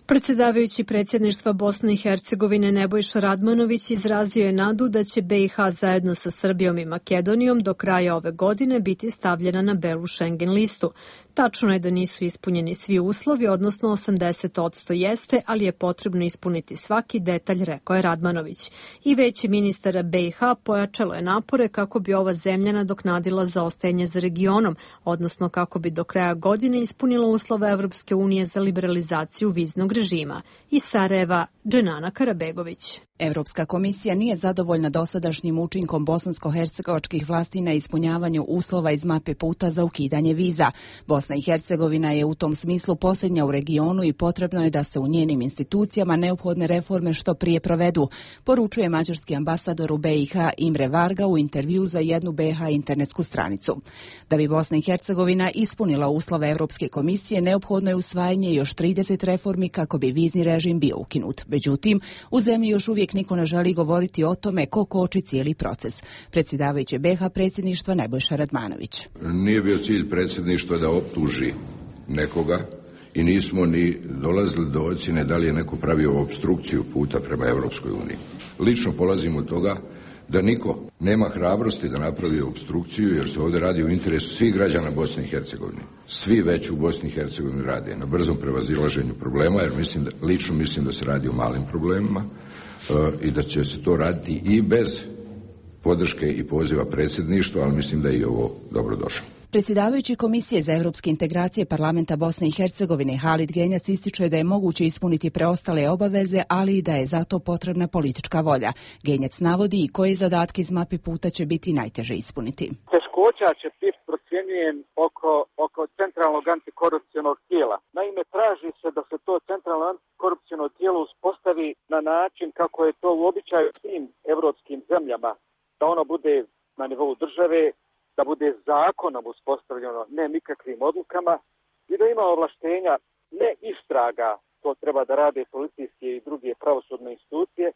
Predsjedavajući predsjedništva Bosne i Hercegovine Nebojša Radmanović izrazio je nadu da će B i H zajedno sa Srbijom i Makedonijom do kraja ove godine biti stavljena na belu Schengen listu. Tačno je da nisu ispunjeni svi uslovi, odnosno osamdeset posto jeste, ali je potrebno ispuniti svaki detalj, rekao je Radmanović. I veći ministar B i H pojačalo je napore kako bi ova zemlja nadoknadila zaostajanje za regionom, odnosno kako bi do kraja godine ispunila uslove Evropske unije za liberalizaciju viznog režima. Iz Sarajeva, Dženana Karabegović. Evropska komisija nije zadovoljna dosadašnjim učinkom bosansko-hercegovačkih vlasti na ispunjavanju uslova iz mape puta za ukidanje viza. Bosna i Hercegovina je u tom smislu posljednja u regionu i potrebno je da se u njenim institucijama neophodne reforme što prije provedu, poručuje mađarski ambasador u B i H Imre Varga u intervju za jednu B i H internetsku stranicu. Da bi Bosna i Hercegovina ispunila uslove Evropske komisije, neophodno je usvajanje još trideset reformi kako bi vizni režim bio ukinut. Međutim, u zemlji još uvijek niko ne želi govoriti o tome ko koči cijeli proces. Predsjedavajući B i H predsjedništva Nebojša Radmanović. Nije bio cilj predsjedništva da optuži nekoga i nismo ni dolazili do ocjene da li je neko pravio obstrukciju puta prema Evropskoj uniji. Lično polazim od toga da niko nema hrabrosti da napravi obstrukciju, jer se ovdje radi u interesu svih građana Bosne i Hercegovine. Svi već u Bosni i Hercegovini rade na brzom prevazilaženju problema, jer mislim da, lično mislim da se radi o malim problemima uh, i da će se to raditi i bez podrške i poziva predsjedništva, ali mislim da je i ovo dobro došlo. Predsjedavajući Komisije za evropske integracije Parlamenta Bosne i Hercegovine Halid Genjac ističe da je moguće ispuniti preostale obaveze, ali i da je zato potrebna politička volja. Genjac navodi i koje zadatke iz mape puta će biti najteže ispuniti. Teškoća će biti procjenjujem oko, oko centralnog antikorupcionog tijela. Naime, traži se da se to centralno antikorupciono tijelo uspostavi na način kako je to u običaju svim evropskim zemljama, da ono bude na nivou države, da bude zakonom uspostavljeno, ne nikakvim odlukama, i da ima ovlaštenja ne istraga, to treba da rade policijske i druge pravosudne institucije,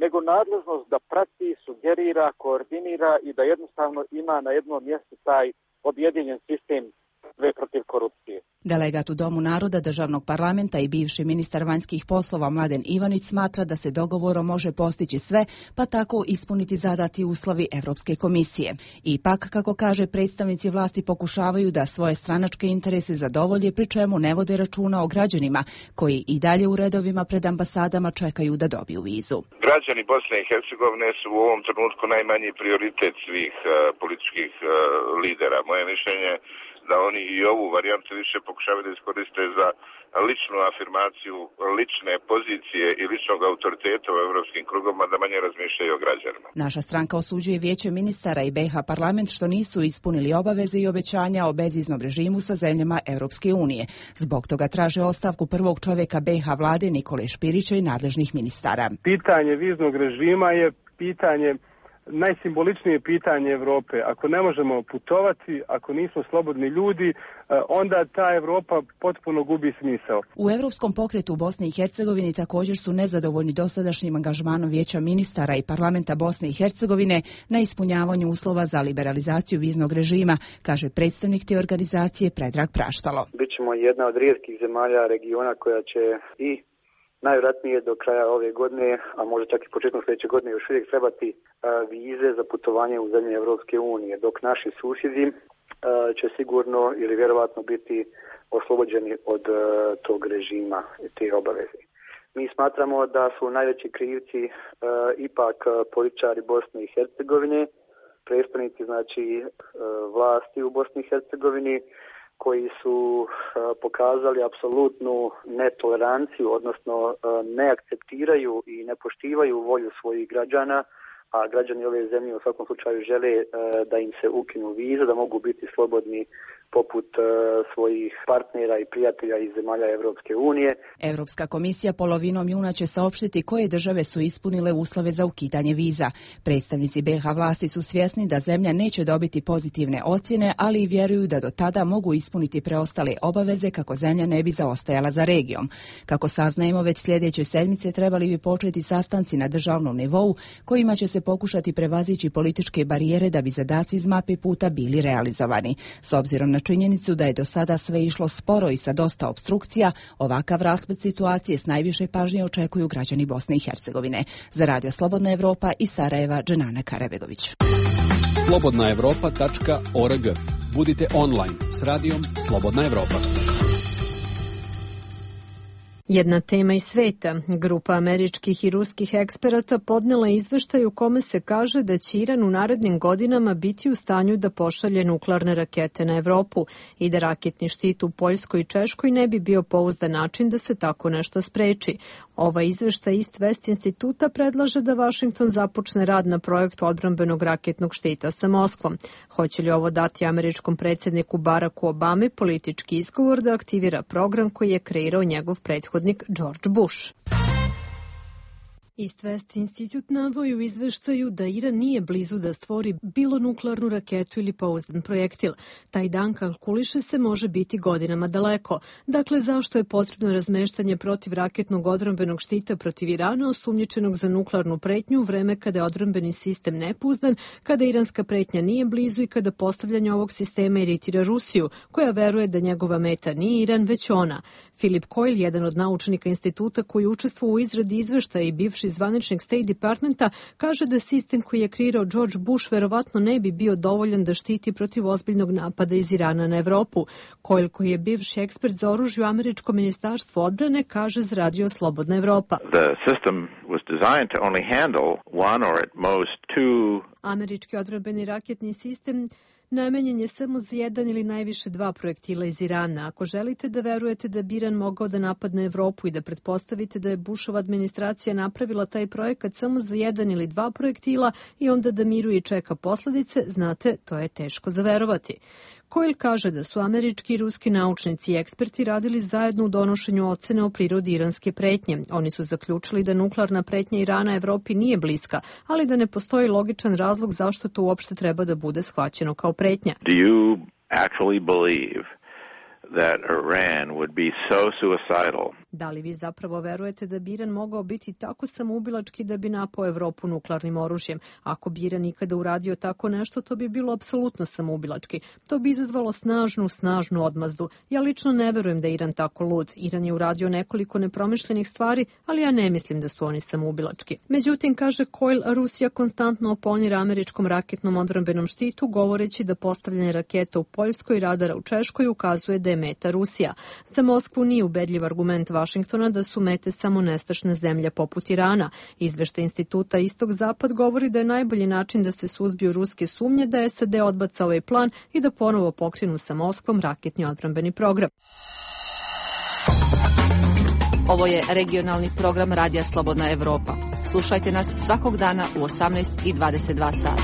nego nadležnost da prati, sugerira, koordinira i da jednostavno ima na jednom mjestu taj objedinjen sistem borbe protiv korupcije. Delegat u Domu naroda državnog parlamenta i bivši ministar vanjskih poslova Mladen Ivanić smatra da se dogovorom može postići sve, pa tako ispuniti zadati uslovi Evropske komisije. Ipak, kako kaže, predstavnici vlasti pokušavaju da svoje stranačke interese zadovolje, pri čemu ne vode računa o građanima koji i dalje u redovima pred ambasadama čekaju da dobiju vizu. Građani Bosne i Hercegovine su u ovom trenutku najmanji prioritet svih uh, političkih uh, lidera. Moje mišljenje da oni i ovu varijantu više pokušavaju da iskoriste za ličnu afirmaciju, lične pozicije i ličnog autoriteta u evropskim krugovima, da manje razmišljaju o građanima. Naša stranka osuđuje Vijeće ministara i B iH parlament što nisu ispunili obaveze i obećanja o bezviznom režimu sa zemljama Evropske unije. Zbog toga traže ostavku prvog čovjeka B iH vlade Nikole Špirića i nadležnih ministara. Pitanje viznog režima je pitanje najsimboličnije pitanje Evrope. Ako ne možemo putovati, ako nismo slobodni ljudi, onda ta Evropa potpuno gubi smisao. U Evropskom pokretu u Bosni i Hercegovini također su nezadovoljni dosadašnjim angažmanom Vijeća ministara i parlamenta Bosne i Hercegovine na ispunjavanju uslova za liberalizaciju viznog režima, kaže predstavnik te organizacije Predrag Praštalo. Bićemo jedna od rijetkih zemalja regiona koja će i najvjerojatnije do kraja ove godine, a možda čak i početkom sljedeće godine još uvijek trebati a, vize za putovanje u zemlje Evropske unije, dok naši susjedi a, će sigurno ili vjerovatno biti oslobođeni od a, tog režima i te obaveze. Mi smatramo da su najveći krivci a, ipak a, političari Bosne i Hercegovine, predstavnici znači a, vlasti u Bosni i Hercegovini, koji su uh, pokazali apsolutnu netoleranciju, odnosno uh, ne akceptiraju i ne poštivaju volju svojih građana, a građani ove zemlje u svakom slučaju žele uh, da im se ukinu vize, da mogu biti slobodni poput uh, svojih partnera i prijatelja iz zemalja Evropske unije. Evropska komisija polovinom juna će saopštiti koje države su ispunile uslove za ukidanje viza. Predstavnici B iH vlasti su svjesni da zemlja neće dobiti pozitivne ocjene, ali i vjeruju da do tada mogu ispuniti preostale obaveze kako zemlja ne bi zaostajala za regijom. Kako saznajemo, već sljedeće sedmice trebali bi početi sastanci na državnom nivou kojima će se pokušati prevazići političke barijere da bi zadaci iz mape puta bili realizovani. S obzirom na činjenicu da je do sada sve išlo sporo i sa dosta opstrukcija, ovakav rasplet situacije s najviše pažnje očekuju građani Bosne i Hercegovine. Za Radio Slobodna Evropa iz Sarajeva, Dženana Karabegović. slobodna evropa tačka org. Budite online s radijom Slobodna Evropa. Jedna tema iz sveta. Grupa američkih i ruskih eksperata podnela izveštaj u kome se kaže da će Iran u narednim godinama biti u stanju da pošalje nuklearne rakete na Evropu i da raketni štit u Poljskoj i Češkoj ne bi bio pouzdan način da se tako nešto spreči. Ova izveštaj East West instituta predlaže da Vašington započne rad na projektu odbrambenog raketnog štita sa Moskvom. Hoće li ovo dati američkom predsjedniku Baracku Obami politički izgovor da aktivira program koji je kreirao njegov prethodnik George Bush? East West institut navodi u izveštaju da Iran nije blizu da stvori bilo nuklearnu raketu ili pouzdan projektil. Taj dan, kalkuliše se, može biti godinama daleko. Dakle, zašto je potrebno razmeštanje protivraketnog odbrambenog štita protiv Irana, osumnjičenog za nuklearnu pretnju u vreme kada je odbrambeni sistem nepouzdan, kada iranska pretnja nije blizu i kada postavljanje ovog sistema iritira Rusiju, koja veruje da njegova meta nije Iran, već ona. Philip Coyle, jedan od naučnika instituta koji učestvuje u izradi izveštaja i bivši zvaničnik State Departmenta, kaže da sistem koji je kreirao George Bush verovatno ne bi bio dovoljan da štiti protiv ozbiljnog napada iz Irana na Evropu. Coyle, koji je bivši ekspert za oružje u američkom ministarstvu odbrane, kaže za Radio Slobodna Evropa. The system was designed to only handle one or at most two. Američki odbrambeni raketni sistem namenjen je samo za jedan ili najviše dva projektila iz Irana. Ako želite da verujete da bi Iran mogao da napadne Evropu i da pretpostavite da je Bushova administracija napravila taj projekat samo za jedan ili dva projektila i onda da miruje i čeka posledice, znate, to je teško za verovati. Coyle kaže da su američki i ruski naučnici i eksperti radili zajedno u donošenju ocene o prirodi iranske pretnje. Oni su zaključili da nuklearna pretnja Irana Evropi nije bliska, ali da ne postoji logičan razlog zašto to uopšte treba da bude shvaćeno kao pretnja. Do you actually believe that Iran would be so suicidal Da li vi zapravo verujete da bi Iran mogao biti tako samoubilački da bi napao Evropu nuklearnim oružjem? Ako bi Iran ikada uradio tako nešto, to bi bilo apsolutno samoubilački. To bi izazvalo snažnu, snažnu odmazdu. Ja lično ne verujem da je Iran tako lud. Iran je uradio nekoliko nepromišljenih stvari, ali ja ne mislim da su oni samoubilački. Međutim, kaže Coyle, Rusija konstantno oponira američkom raketnom odbrambenom štitu, govoreći da postavljanje raketa u Poljskoj i radara u Češkoj ukazuje da je meta Rusija. Za Moskvu nije ubedljiv argument Vašingtona da su mete samo nestašne zemlje poput Irana. Izveštaj instituta Istok-Zapad govori da je najbolji način da se suzbiju ruske sumnje da S A D odbaca ovaj plan i da ponovo pokrenu sa Moskvom raketni odbrambeni program. Ovo je regionalni program Radija Slobodna Evropa. Slušajte nas svakog dana u osamnaest i dvadeset dva sata.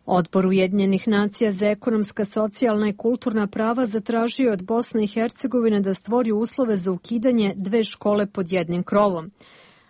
Odbor Ujedinjenih nacija za ekonomska, socijalna i kulturna prava zatražio od Bosne i Hercegovine da stvori uslove za ukidanje dve škole pod jednim krovom.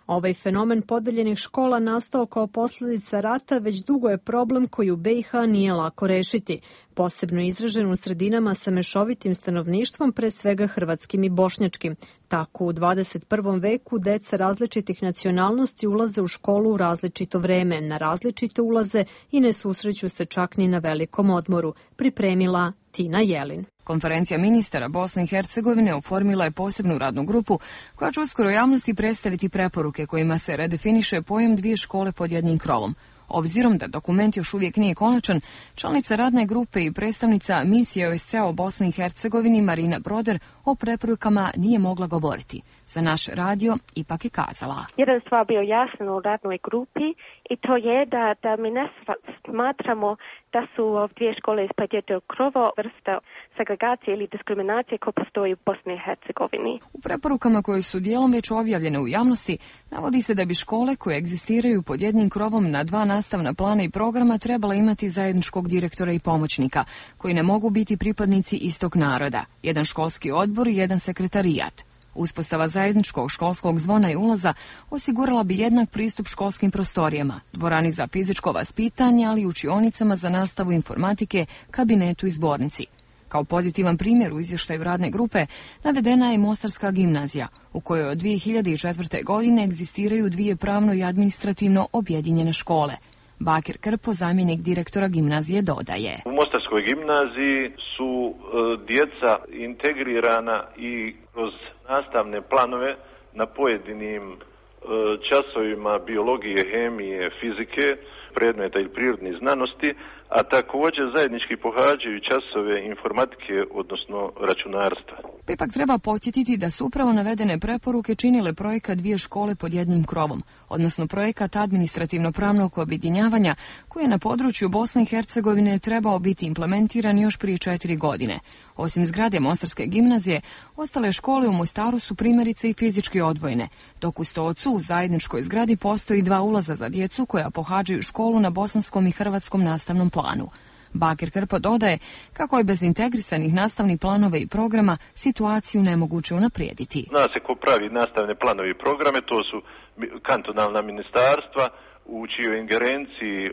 Ovaj fenomen podeljenih škola nastao kao posljedica rata već dugo je problem koji u B i H nije lako rešiti, posebno izražen u sredinama sa mešovitim stanovništvom, pre svega hrvatskim i bošnjačkim. Tako u dvadeset prvom veku deca različitih nacionalnosti ulaze u školu u različito vreme, na različite ulaze i ne susreću se čak ni na velikom odmoru, pripremila Tina Jelin. Konferencija ministara Bosne i Hercegovine oformila je posebnu radnu grupu koja će uskoro javnosti predstaviti preporuke kojima se redefiniše pojam dvije škole pod jednim krovom. Obzirom da dokument još uvijek nije konačan, članica radne grupe i predstavnica misije O S C E u Bosni i Hercegovini Marina Broder o preporukama nije mogla govoriti. Za naš radio ipak je kazala. Jedan stvar bio jasan u radnoj grupi i to je da, da mi ne smatramo da su dvije škole ispod jednog krova vrsta segregacije ili diskriminacije koja postoji u Bosni i Hercegovini. U preporukama koje su dijelom već objavljene u javnosti navodi se da bi škole koje egzistiraju pod jednim krovom na dva nastavna plana i programa trebala imati zajedničkog direktora i pomoćnika, koji ne mogu biti pripadnici istog naroda, jedan školski odbor i jedan sekretarijat. Uspostava zajedničkog školskog zvona i ulaza osigurala bi jednak pristup školskim prostorijama, dvorani za fizičko vaspitanje, ali i učionicama za nastavu informatike, kabinetu i zbornici. Kao pozitivan primjer u izvještaju radne grupe navedena je Mostarska gimnazija, u kojoj od dvije hiljade četvrte. godine egzistiraju dvije pravno i administrativno objedinjene škole. Bakir Krpo, zamjenik direktora gimnazije, dodaje. U Mostarskoj gimnaziji su e, djeca integrirana i kroz nastavne planove na pojedinim e, časovima biologije, hemije, fizike, predmeta ili prirodnih znanosti, a također zajednički pohađaju časove informatike, odnosno računarstva. Ipak treba podsjetiti da su upravo navedene preporuke činile projekat dvije škole pod jednim krovom, odnosno projekat administrativno-pravnog objedinjavanja koji je na području Bosne i Hercegovine trebao biti implementiran još prije četiri godine. Osim zgrade Mostarske gimnazije, ostale škole u Mostaru su primjerice i fizički odvojene, dok u Stocu u zajedničkoj zgradi postoji dva ulaza za djecu koja pohađaju školu na bosanskom i hrvatskom nastavnom planu. Bakir Krpo dodaje kako je bez integrisanih nastavnih planova i programa situaciju nemoguće unaprijediti. Zna se ko pravi nastavne planove i programe, to su kantonalna ministarstva u čijoj ingerenciji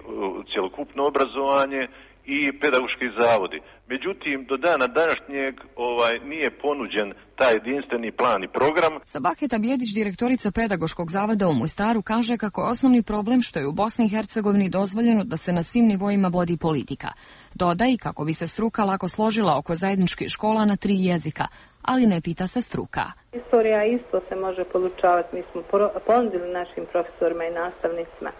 cjelokupno obrazovanje i pedagoški zavodi. Međutim, do dana današnjeg ovaj, nije ponuđen taj jedinstveni plan i program. Sabaheta Bjedić, direktorica pedagoškog zavoda u Mostaru, kaže kako je osnovni problem što je u Bosni i Hercegovini dozvoljeno da se na svim nivoima vodi politika. Doda i kako bi se struka lako složila oko zajedničkih škola na tri jezika, ali ne pita se struka. Istorija isto se može podučavati. Mi smo ponudili našim profesorima i nastavnicima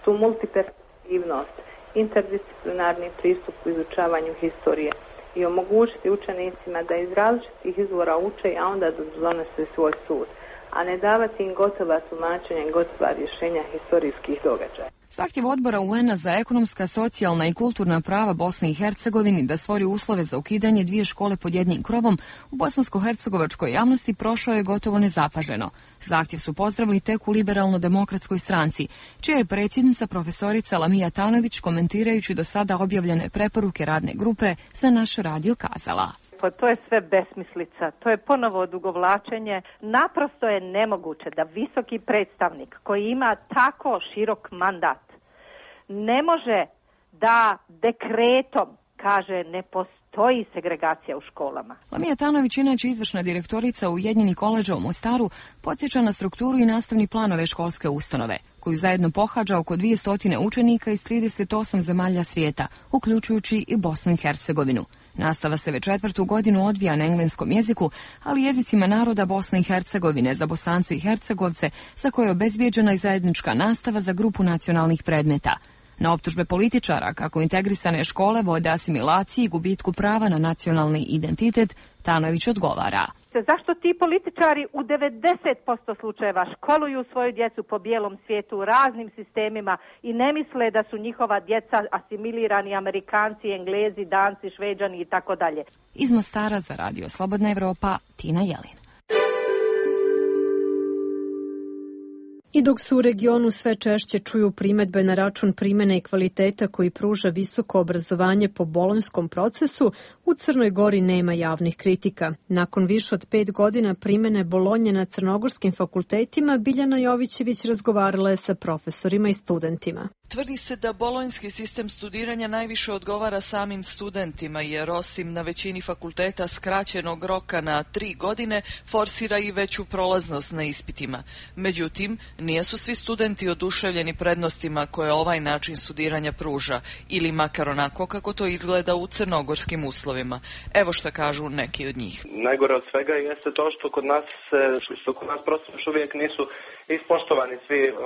tu multiperspektivnost, interdisciplinarni pristup u izučavanju historije i omogućiti učenicima da iz različitih izvora uče, a onda da donose svoj sud, a ne davati im gotova tumačenja i gotova rješenja historijskih događaja. Zahtjev odbora U N-a za ekonomska, socijalna i kulturna prava Bosne i Hercegovini da stvori uslove za ukidanje dvije škole pod jednim krovom u bosansko-hercegovačkoj javnosti prošao je gotovo nezapaženo. Zahtjev su pozdravili tek u Liberalno-demokratskoj stranci, čija je predsjednica profesorica Lamija Tanović, komentirajući do sada objavljene preporuke radne grupe, za naš radio kazala. To je sve besmislica, to je ponovo odugovlačenje. Naprosto je nemoguće da visoki predstavnik koji ima tako širok mandat ne može da dekretom kaže ne postoji postoji segregacija u školama. Lamija Tanović, inače izvršna direktorica Ujedinjenih koledža u Mostaru, podsjeća na strukturu i nastavni plan ove školske ustanove, koju zajedno pohađa oko dvjesto učenika iz trideset osam zemalja svijeta, uključujući i Bosnu i Hercegovinu. Nastava se već četvrtu godinu odvija na engleskom jeziku, ali jezicima naroda Bosne i Hercegovine za Bosance i Hercegovce, za koje je obezbijeđena i zajednička nastava za grupu nacionalnih predmeta. Na optužbe političara kako integrisane škole vode asimilaciji i gubitku prava na nacionalni identitet, Tanović odgovara. Zašto ti političari u devedeset posto slučajeva školuju svoju djecu po bijelom svijetu u raznim sistemima i ne misle da su njihova djeca asimilirani Amerikanci, Englezi, Danci, Šveđani i tako dalje? Iz Mostara za Radio Slobodna Evropa, Tina Jelin. I dok se u regionu sve češće čuju primedbe na račun primene i kvaliteta koji pruža visoko obrazovanje po bolonjskom procesu, u Crnoj Gori nema javnih kritika. Nakon više od pet godina primene Bolonje na crnogorskim fakultetima, Biljana Jovićević razgovarala je sa profesorima i studentima. Tvrdi se da bolonjski sistem studiranja najviše odgovara samim studentima, jer osim na većini fakulteta skraćenog roka na tri godine, forsira i veću prolaznost na ispitima. Međutim, nijesu svi studenti oduševljeni prednostima koje ovaj način studiranja pruža, ili makar onako kako to izgleda u crnogorskim uslovima. Evo šta kažu neki od njih. Najgore od svega jeste to što kod nas, što kod nas prosto još uvijek nisu ispoštovani svi uh,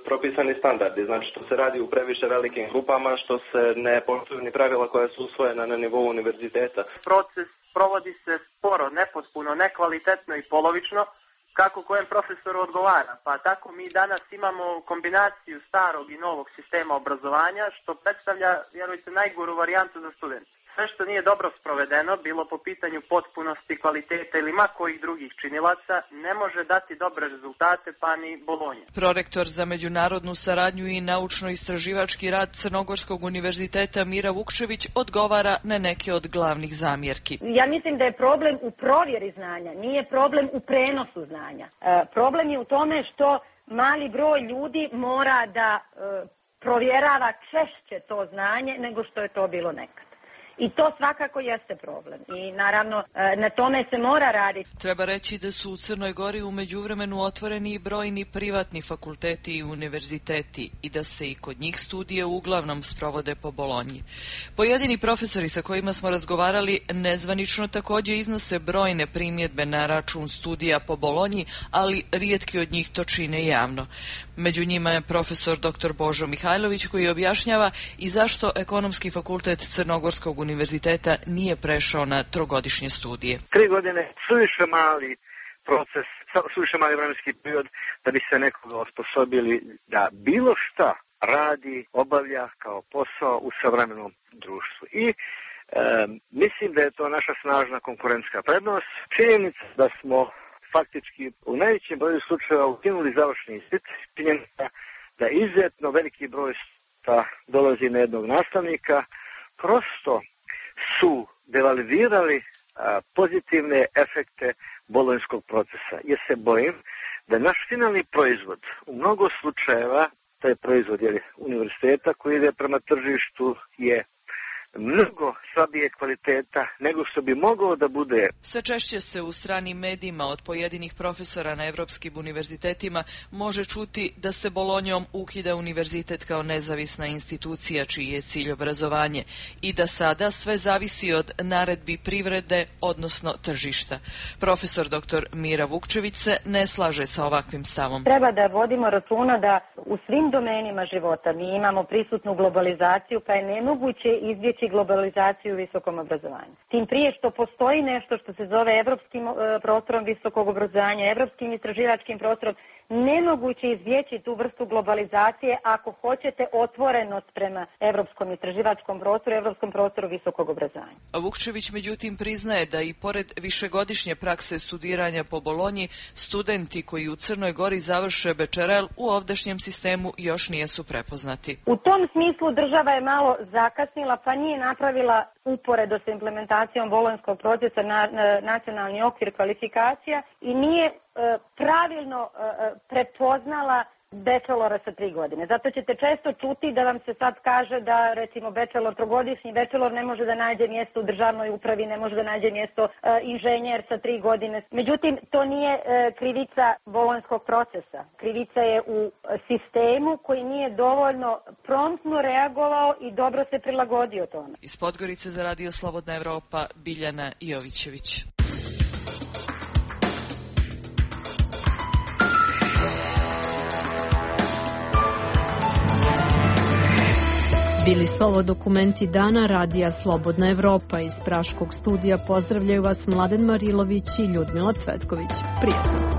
propisani standardi, znači što se radi u previše velikim grupama, što se ne poštuju ni pravila koja su usvojena na nivou univerziteta. Proces provodi se sporo, nepotpuno, nekvalitetno i polovično, kako kojem profesoru odgovara. Pa tako mi danas imamo kombinaciju starog i novog sistema obrazovanja, što predstavlja, vjerujte, najgoru varijantu za studente. Sve što nije dobro sprovedeno, bilo po pitanju potpunosti, kvaliteta ili ma kojih drugih činilaca, ne može dati dobre rezultate, pa ni Bolonja. Prorektor za međunarodnu saradnju i naučno-istraživački rad Crnogorskog univerziteta Mira Vukčević odgovara na neke od glavnih zamjerki. Ja mislim da je problem u provjeri znanja, nije problem u prenosu znanja. E, problem je u tome što mali broj ljudi mora da e, provjerava češće to znanje nego što je to bilo nekad. I to svakako jeste problem. I naravno na tome se mora raditi. Treba reći da su u Crnoj Gori u međuvremenu otvoreni i brojni privatni fakulteti i univerziteti i da se i kod njih studije uglavnom sprovode po Bolonji. Pojedini profesori sa kojima smo razgovarali nezvanično također iznose brojne primjedbe na račun studija po Bolonji, ali rijetki od njih to čine javno. Među njima je profesor doktor Božo Mihajlović koji objašnjava i zašto Ekonomski fakultet Crnogorskog univerziteta nije prešao na trogodišnje studije. Tri godine suviše mali proces, suviše mali vremenski period da bi se nekoga osposobili da bilo šta radi, obavlja kao posao u savremenom društvu. I e, mislim da je to naša snažna konkurentska prednost. Činjenica da smo faktički u najvećem broju slučajeva ukinuli završni ispit, činjenica da izuzetno veliki broj dolazi na jednog nastavnika, prosto su devalvirali a, pozitivne efekte bolonjskog procesa. Jer se bojim da naš finalni proizvod u mnogo slučajeva, taj proizvod je univerziteta koji ide prema tržištu, je mnogo slabije kvaliteta nego što bi mogao da bude. Sve češće se u stranim medijima od pojedinih profesora na evropskim univerzitetima može čuti da se Bolonjom ukida univerzitet kao nezavisna institucija čiji je cilj obrazovanje i da sada sve zavisi od naredbi privrede, odnosno tržišta. Profesor doktor Mira Vukčević se ne slaže sa ovakvim stavom. Treba da vodimo računa da u svim domenima života mi imamo prisutnu globalizaciju, pa je nemoguće izbjeći globalizaciju u visokom obrazovanju. Tim prije što postoji nešto što se zove evropskim prostorom visokog obrazovanja, evropskim istraživačkim prostorom, nemoguće izbjeći tu vrstu globalizacije ako hoćete otvorenost prema evropskom istraživačkom prostoru, evropskom prostoru visokog obrazovanja. Vukčević međutim priznaje da i pored višegodišnje prakse studiranja po Bolonji, studenti koji u Crnoj Gori završe bečerel u ovdašnjem sistemu još nijesu prepoznati. U tom smislu država je malo zakasnila pa nije napravila uporedo sa implementacijom bolonjskog procesa na, na nacionalni okvir kvalifikacija i nije e, pravilno e, prepoznala bachelora sa tri godine. Zato ćete često čuti da vam se sad kaže da recimo bachelor, trogodišnji bachelor ne može da nađe mjesto u državnoj upravi, ne može da nađe mjesto uh, inženjer sa tri godine. Međutim, to nije uh, krivica bolonjskog procesa. Krivica je u sistemu koji nije dovoljno promptno reagovao i dobro se prilagodio tome. Iz Podgorice za Radio Slobodna Evropa, Biljana Jovićević. Bili su ovo dokumenti dana Radija Slobodna Evropa. Iz Praškog studija pozdravljaju vas Mladen Marilović i Ljudmila Cvetković. Prijatno.